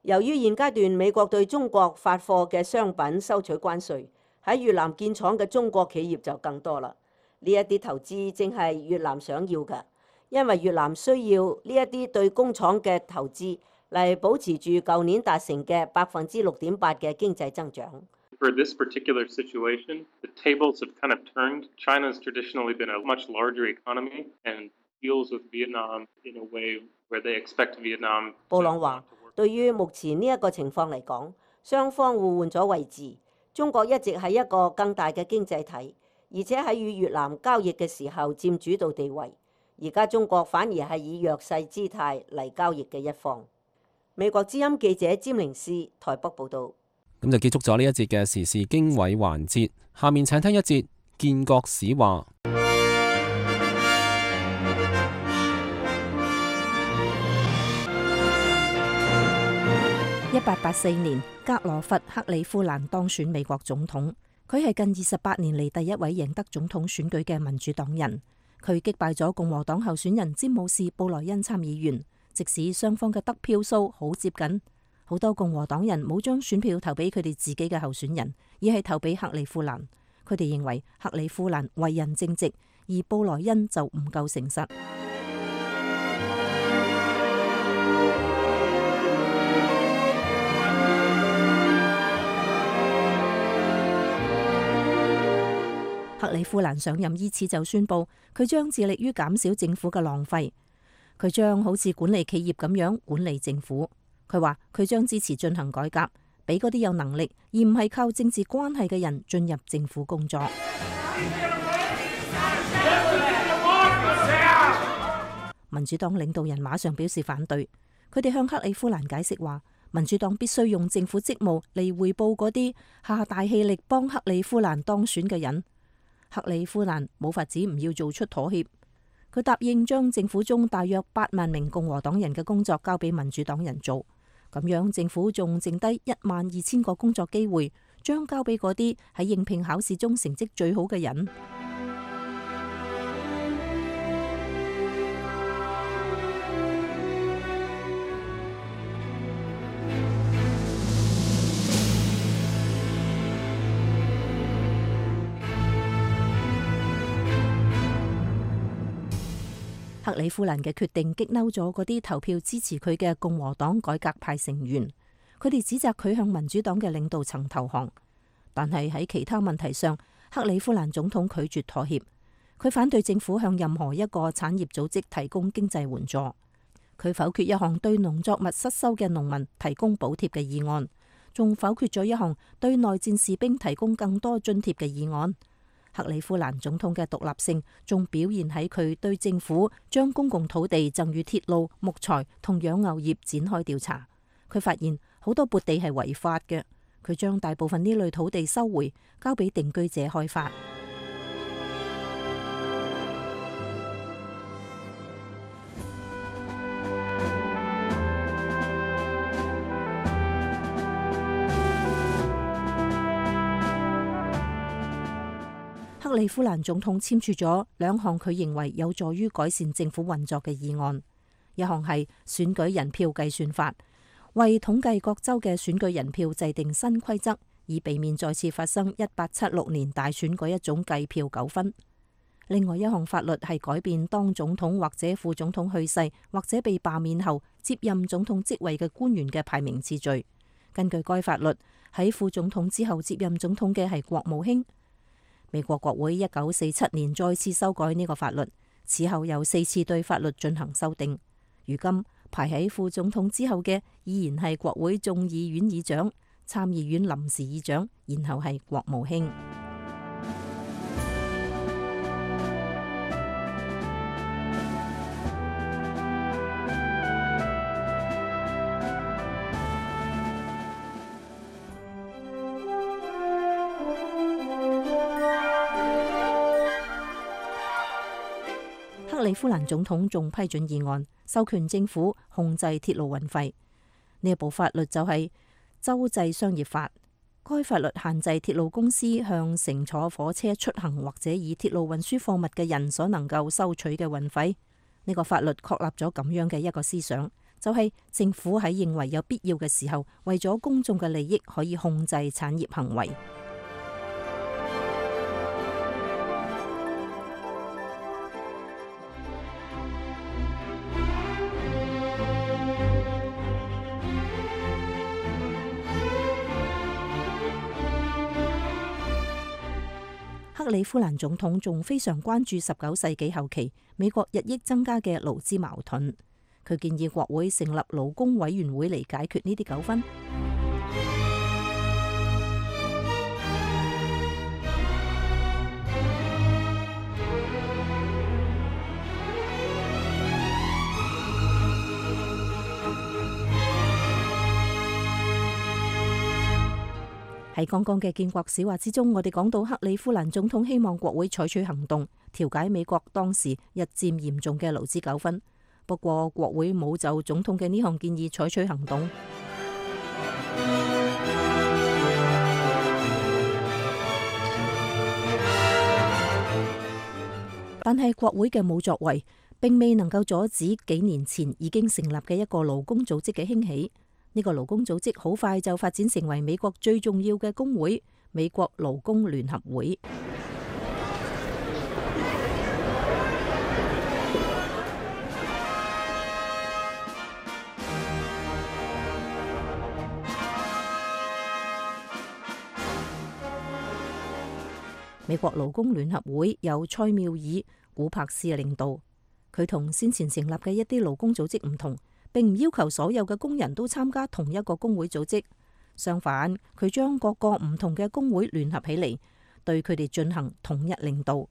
由於現階段美國對中國發貨嘅商品收取關稅，喺越南建廠嘅中國企業就更多啦。呢一啲投資正係越南想要嘅。因為越南需要呢一啲對工廠嘅投資嚟保持住舊年達成嘅百分之六點八嘅經濟增長。For this particular situation, the tables have kind of turned. China's traditionally been a much larger economy and deals with Vietnam in a way where they expect Vietnam. 布朗話，對於目前呢一個情況嚟講，雙方互換咗位置。中國一直係一個更大嘅經濟體，而且喺與越南交易嘅時候佔主導地位。而家中國反而係以弱勢姿態嚟交易嘅一方。美國之音記者詹寧斯台北報導。咁就結束咗呢一節嘅時事經緯環節，下面請聽一節建國史話。一八八四年，格羅佛克里夫蘭當選美國總統，佢係近二十八年嚟第一位贏得總統選舉嘅民主黨人。佢擊敗咗共和黨候選人詹姆士布萊恩參議員，即使雙方嘅得票數好接近，好多共和黨人冇將選票投俾佢哋自己嘅候選人，而係投俾克里夫蘭。佢哋認為克里夫蘭為人正直，而布萊恩就唔夠誠實。克里夫蘭上任伊始就宣布，佢將致力於減少政府嘅浪費，佢將好似管理企業咁樣管理政府。佢話佢將支持進行改革，俾嗰啲有能力而唔係靠政治關係嘅人進入政府工作。民主黨領導人馬上表示反對，佢哋向克里夫蘭解釋話，民主黨必須用政府職務嚟回報嗰啲下大氣力幫克里夫蘭當選嘅人。克里夫蘭冇法子唔要做出妥協，佢答應將政府中大約八萬名共和黨人嘅工作交俾民主黨人做，咁樣政府仲剩低一萬二千個工作機會，將交俾嗰啲喺應聘考試中成績最好嘅人。克里夫蘭嘅決定激嬲咗嗰啲投票支持佢嘅共和黨改革派成員，佢哋指責佢向民主黨嘅領導層投降。但係喺其他問題上，克里夫蘭總統拒絕妥協，佢反對政府向任何一個產業組織提供經濟援助，佢否決一項對農作物失收嘅農民提供補貼嘅議案，仲否決咗一項對內戰士兵提供更多津貼嘅議案。克里夫蘭總統嘅獨立性仲表現喺佢對政府將公共土地贈予鐵路、木材同養牛業展開調查。佢發現好多撥地係違法嘅，佢將大部分呢類土地收回，交俾定居者開發。克里夫蘭總統簽署咗兩項佢認為有助於改善政府運作嘅議案，一項係選舉人票計算法，為統計各州嘅選舉人票制定新規則，以避免再次發生一八七六年大選嗰一種計票糾紛。另外一項法律係改變當總統或者副總統去世或者被罷免後接任總統職位嘅官員嘅排名次序。根據該法律，喺副總統之後接任總統嘅係國務卿。美國國會一九四七年再次修改呢個法律，此後有四次對法律進行修訂。如今排喺副總統之後嘅依然係國會眾議院議長、參議院臨時議長，然後係國務卿。克里夫蘭總統仲批准議案，授權政府控制鐵路運費。呢一部法律就係州際商業法。該法律限制鐵路公司向乘坐火車出行或者以鐵路運輸貨物嘅人所能夠收取嘅運費。呢個法律確立咗咁樣嘅一個思想，就係政府喺認為有必要嘅時候，為咗公眾嘅利益，可以控制產業行為。克里夫蘭總統仲非常關注十九世紀後期美國日益增加嘅勞資矛盾，佢建議國會成立勞工委員會嚟解決呢啲糾紛。喺剛剛嘅建國史話之中，我哋講到克里夫蘭總統希望國會採取行動，調解美國當時日漸嚴重嘅勞資糾紛。不過國會冇就總統嘅呢項建議採取行動。但係國會嘅冇作為，並未能夠阻止幾年前已經成立嘅一個勞工組織嘅興起。呢個勞工組織好快就發展成為美國最重要嘅工會——美國勞工聯合會。美國勞工聯合會由塞繆爾·古柏斯領導，佢同先前成立嘅一啲勞工組織唔同，並唔要求所有嘅工人都參加同一個工會組織，相反，佢將各個唔同嘅工會聯合起嚟，對佢哋進行統一領導。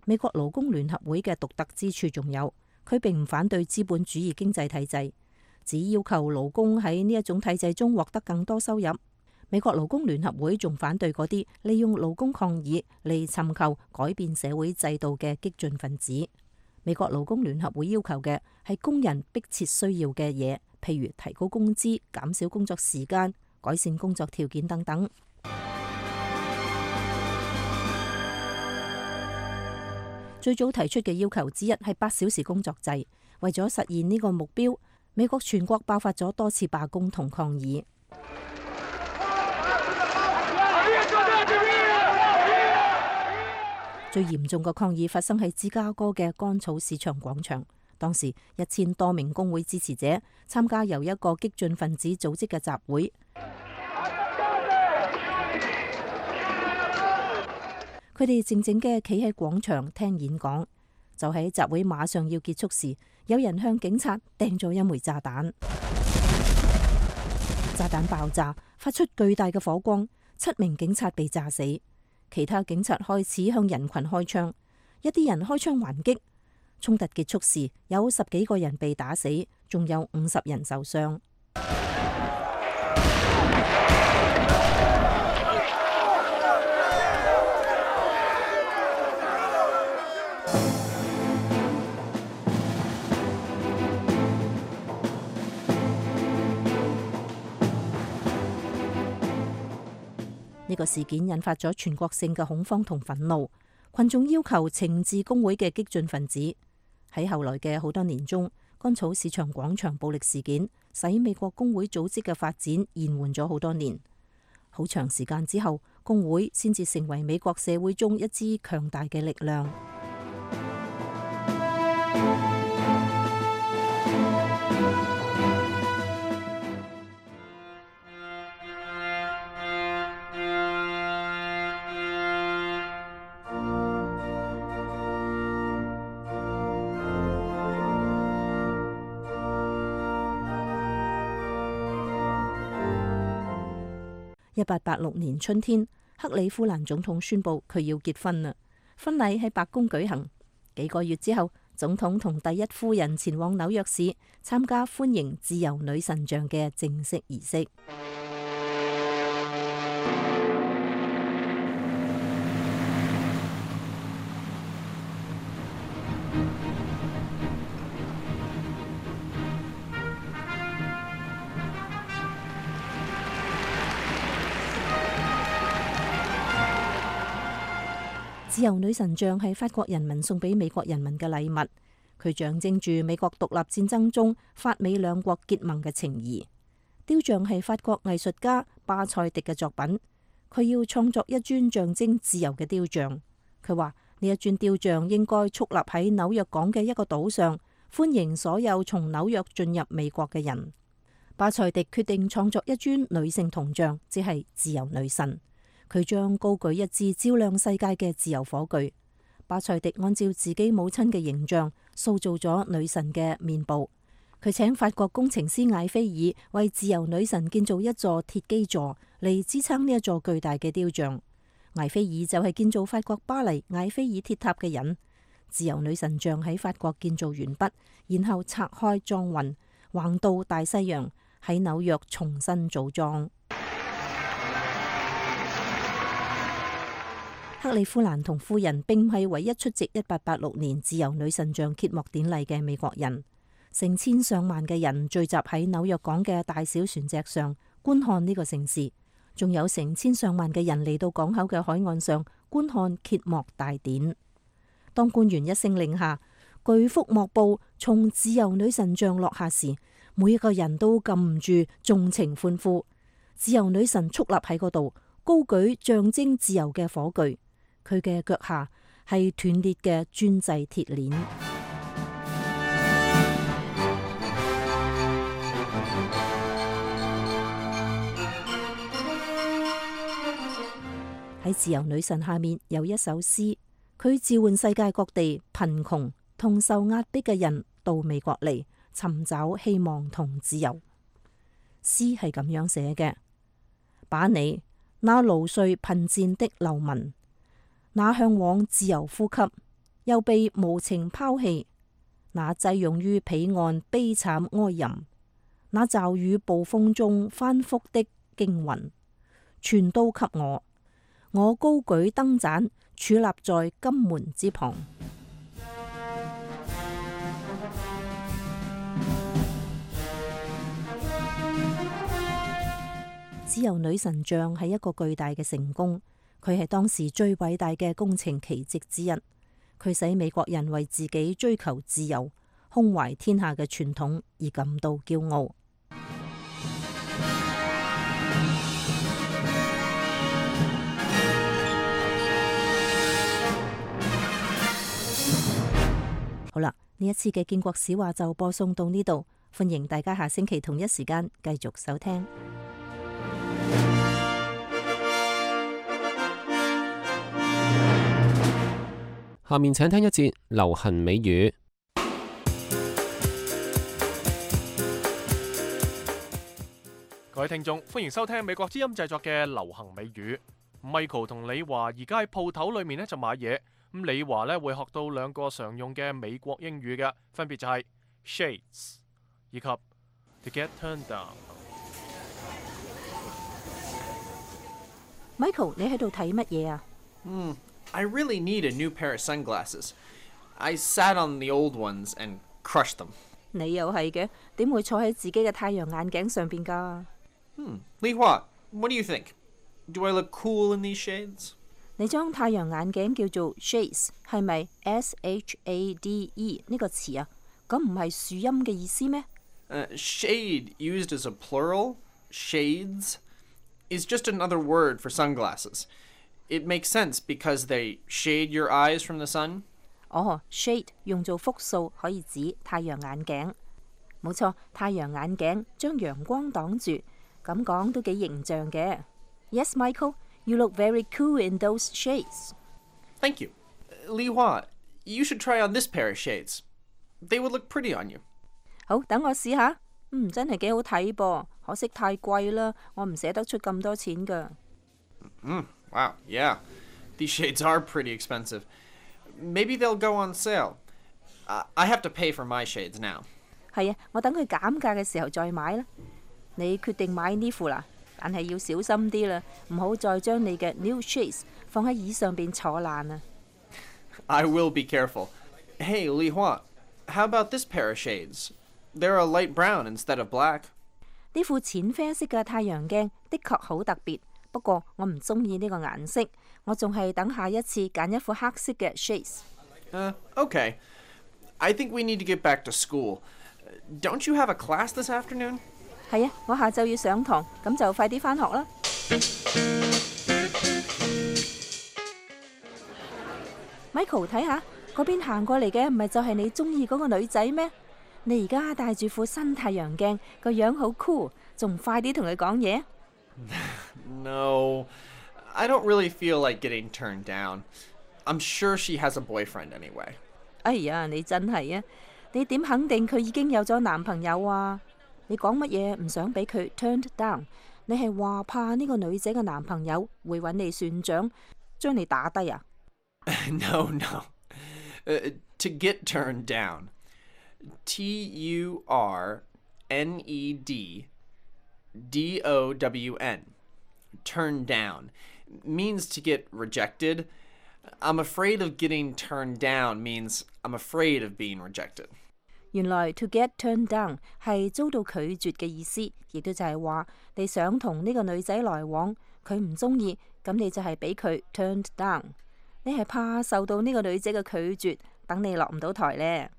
美國勞工聯合會嘅獨特之處仲有，佢並唔反對資本主義經濟體制，只要求勞工喺呢一種體制中獲得更多收入。美國勞工聯合會仲反對嗰啲利用勞工抗議嚟尋求改變社會制度嘅激進分子。美國勞工聯合會要求嘅係工人迫切需要嘅嘢，譬如提高工資、減少工作時間、改善工作條件等等。最早提出嘅要求之一係八小時工作制。為咗實現呢個目標，美國全國爆發咗多次罷工同抗議。最嚴重嘅抗議發生喺芝加哥嘅乾草市場廣場，當時一千多名工會支持者參加由一個激進分子組織嘅集會，佢哋靜靜嘅企喺廣場聽演講。就喺集會馬上要結束時，有人向警察掟咗一枚炸彈，炸彈爆炸，發出巨大嘅火光，七名警察被炸死。其他警察開始向人群開槍，一啲人開槍還擊。衝突結束時，有十幾個人被打死，仲有五十人受傷。呢個事件引發咗全國性嘅恐慌同憤怒，群眾要求懲治工會嘅激進分子。喺後來嘅好多年中，乾草市場廣場暴力事件使美國工會組織嘅發展延緩咗好多年。好長時間之後，工會先至成為美國社會中一支強大嘅力量。一八八六年春天，克里夫蘭總統宣布佢要結婚啦。婚禮喺白宮舉行。幾個月之後，總統同第一夫人前往紐約市參加歡迎自由女神像嘅正式儀式。自由女神像係法國人民送俾美國人民嘅禮物，佢象徵住美國獨立戰爭中法美兩國結盟嘅情誼。雕像係法國藝術家巴塞迪嘅作品，佢要創作一尊象徵自由嘅雕像。佢話呢一尊雕像應該矗立喺紐約港嘅一個島上，歡迎所有從紐約進入美國嘅人。巴塞迪決定創作一尊女性銅像，即係自由女神。佢將高舉一支照亮世界嘅自由火炬。巴塞迪按照自己母親嘅形象塑造咗女神嘅面部。佢請法國工程師艾菲爾為自由女神建造一座鐵基座嚟支撐呢一座巨大嘅雕像。艾菲爾就係建造法國巴黎艾菲爾鐵塔嘅人。自由女神像喺法國建造完畢，然後拆開裝運，橫渡大西洋，喺紐約重新組裝。克里夫蘭同夫人並唔係唯一出席一八八六年自由女神像揭幕典禮嘅美國人，成千上萬嘅人聚集喺紐約港嘅大小船隻上觀看呢個盛事，仲有成千上萬嘅人嚟到港口嘅海岸上觀看揭幕大典。當官員一聲令下，巨幅幕布從自由女神像落下時，每一個人都禁唔住縱情歡呼。自由女神矗立喺嗰度，高舉象徵自由嘅火炬。佢嘅腳下係斷裂嘅專製鐵鏈。喺自由女神下面有一首詩，佢召喚世界各地貧窮同受壓迫嘅人到美國嚟尋找希望同自由。詩係咁樣寫嘅：把你那勞累貧賤的流民，那向往自由呼吸又被無情拋棄，那擠擁於彼岸悲慘哀吟，那驟雨暴風中翻覆的驚魂，全都給我。我高舉燈盞，矗立在金門之旁。自由女神像係一個巨大嘅成功。佢係當時最偉大嘅工程奇蹟之一，佢使美國人為自己追求自由、胸懷天下嘅傳統而感到驕傲。好啦，呢一次嘅建國史話就播送到呢度，歡迎大家下星期同一時間繼續收聽。下面請聽一節流行美語。各位聽眾，歡迎收聽美國之音製作嘅流行美語。Michael 同李華而家喺鋪頭裏面咧就買嘢，咁李華咧會學到兩個常用嘅美國英語嘅，分別就係 shades 以及 to get turned down。Michael， 你喺度睇乜嘢啊？嗯。I really need a new pair of sunglasses. I sat on the old ones and crushed them. 你又係嘅，點會坐喺自己嘅太陽眼鏡上邊㗎？Hmm. Li Hua, what do you think? Do I look cool in these shades? 你將太陽眼鏡叫做 shades， 係咪 S H A D E 呢個詞啊？咁唔係樹蔭嘅意思咩？Uh, shade used as a plural, shades, is just another word for sunglasses. It makes sense because they shade your eyes from the sun. 哦 shade 用做複數可以指太陽眼鏡。冇錯，太陽眼鏡將陽光擋住，咁講都幾形象嘅。Yes, Michael, you look very cool in those shades. Thank you. Li Hua, you should try on this pair of shades. They would look pretty on you. 好，等我試下。嗯，真係幾好睇噃，可惜太貴啦，我唔捨得出咁多錢㗎。Mm, wow, yeah. These shades are pretty expensive. Maybe they'll go on sale. Uh, I have to pay for my shades now. 係啊，我等佢減價嘅時候再買啦。你決定買呢副啦，但係要小心啲啦，唔好再將你嘅 new shades 放喺椅上邊坐爛啊。I will be careful. Hey, Li Hua, how about this pair of shades? They're a light brown instead of black. 呢副淺啡色嘅太陽鏡的確好特別，不過我唔中意呢個顏色，我仲係等下一次揀一副黑色嘅 shades。Uh, okay. I think we need to get back to school. Don't you have a class this afternoon? 係啊，我下晝要上堂，咁就快啲返學啦。Michael， 睇下嗰邊行過嚟嘅，唔係就係你中意嗰個女仔咩？你而家戴住副新太陽鏡，個樣好 cool， 仲快啲同佢講嘢。No, I don't really feel like getting turned down. I'm sure she has a boyfriend anyway. 哎呀，你真係啊！你點肯定佢已經有咗男朋友啊？你講乜嘢唔想俾佢 turned down？ 你係話怕呢個女仔嘅男朋友會揾你算賬，將你打低啊？ No, no. Uh, to get turned down. T U R N E D D O W N. Turn down means to get rejected. I'm afraid of getting turned down means I'm afraid of being rejected. 原來 to get turned down 係遭到拒絕嘅意思，亦都就係話你想同呢個女仔來往，佢唔中意，咁你就係俾佢 turned down。你係怕受到呢個女仔嘅拒絕，等你落唔到台呢。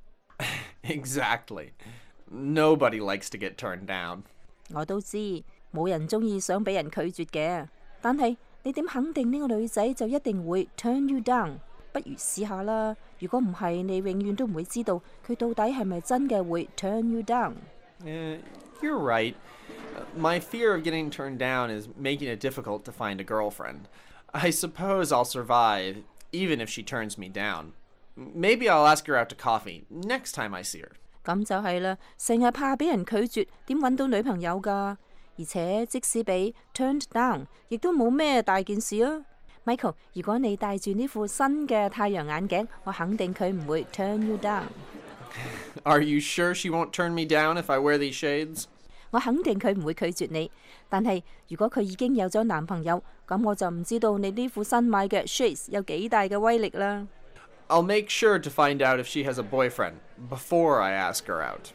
Exactly. Nobody likes to get turned down. 我都知，冇人中意想俾人拒絕嘅，但係你點肯定呢個女仔就一定會 turn you down？ 不如試下啦。如果唔係，你永遠都唔會知道佢到底係咪真嘅會 turn you down。Uh, you're right. My fear of getting turned down is making it difficult to find a girlfriend. I suppose I'll survive, even if she turns me down. Maybe I'll ask her out to coffee next time I see her. 咁就係啦，成日怕俾人拒絕，點揾到女朋友㗎？而且即使俾 turned down， 亦都冇咩大件事啊。Michael， 如果你戴住呢副新嘅太陽眼鏡，我肯定佢唔會 turn you down。 Are you sure she won't turn me down if I wear these shades? 我肯定佢唔會拒絕你，但係如果佢已經有咗男朋友，咁我就唔知道你呢副新買嘅 shades 有幾大嘅威力啦。I'll make sure to find out if she has a boyfriend before I ask her out.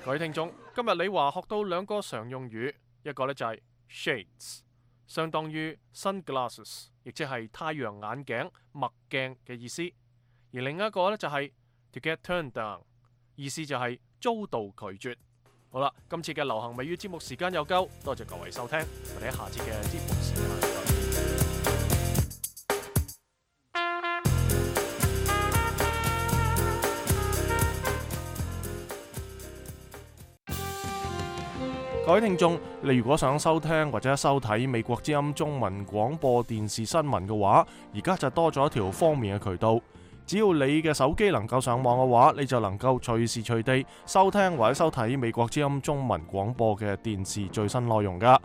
各位聽眾，今日李華學到兩個常用語，一個呢就係 shades， 相當於 sunglasses， 亦即係太陽眼鏡、墨鏡嘅意思；而另一個呢就係 to get turned down， 意思就係遭到拒絕。好啦，今次嘅流行美語節目時間又夠，多謝各位收聽，我哋喺下次嘅節目時間再見。各位聽眾，你如果想收聽或者收睇美國之音中文廣播電視新聞嘅話，而家就多咗一條方便嘅渠道。只要你嘅手機能夠上網嘅話，你就能夠隨時隨地收聽或者收睇美國之音中文廣播嘅電視最新內容㗎。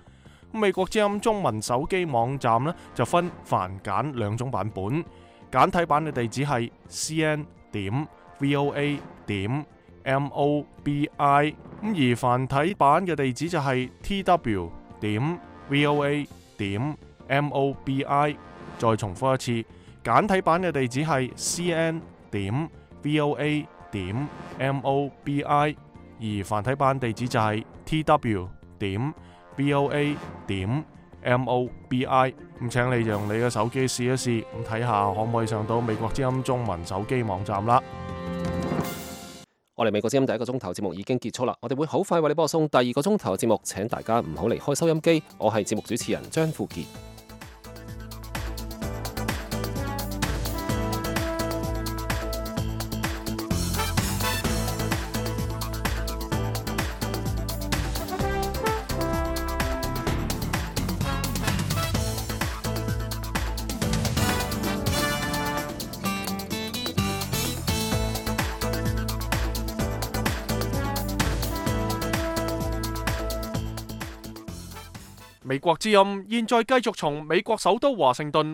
美國之音中文手機網站呢，就分繁簡兩種版本，簡體版嘅地址係 c n 點 v o a 點 m o b i， 咁而繁體版嘅地址就係 t w 點 v o a 點 m o b i。再重複一次，簡體版嘅地址係 c n 點 v o a 點 m o b i， 而繁體版地址就係 t w 點 v o a 點 M O B I。咁請你就用你嘅手機試一試，咁睇下可唔可以上到美國之音中文手機網站啦。我哋美國之音第一個鐘頭節目已經結束啦，我哋會好快為你播送第二個鐘頭嘅節目，請大家唔好離開收音機。我係節目主持人張富傑。美國之音現在繼續從美國首都華盛頓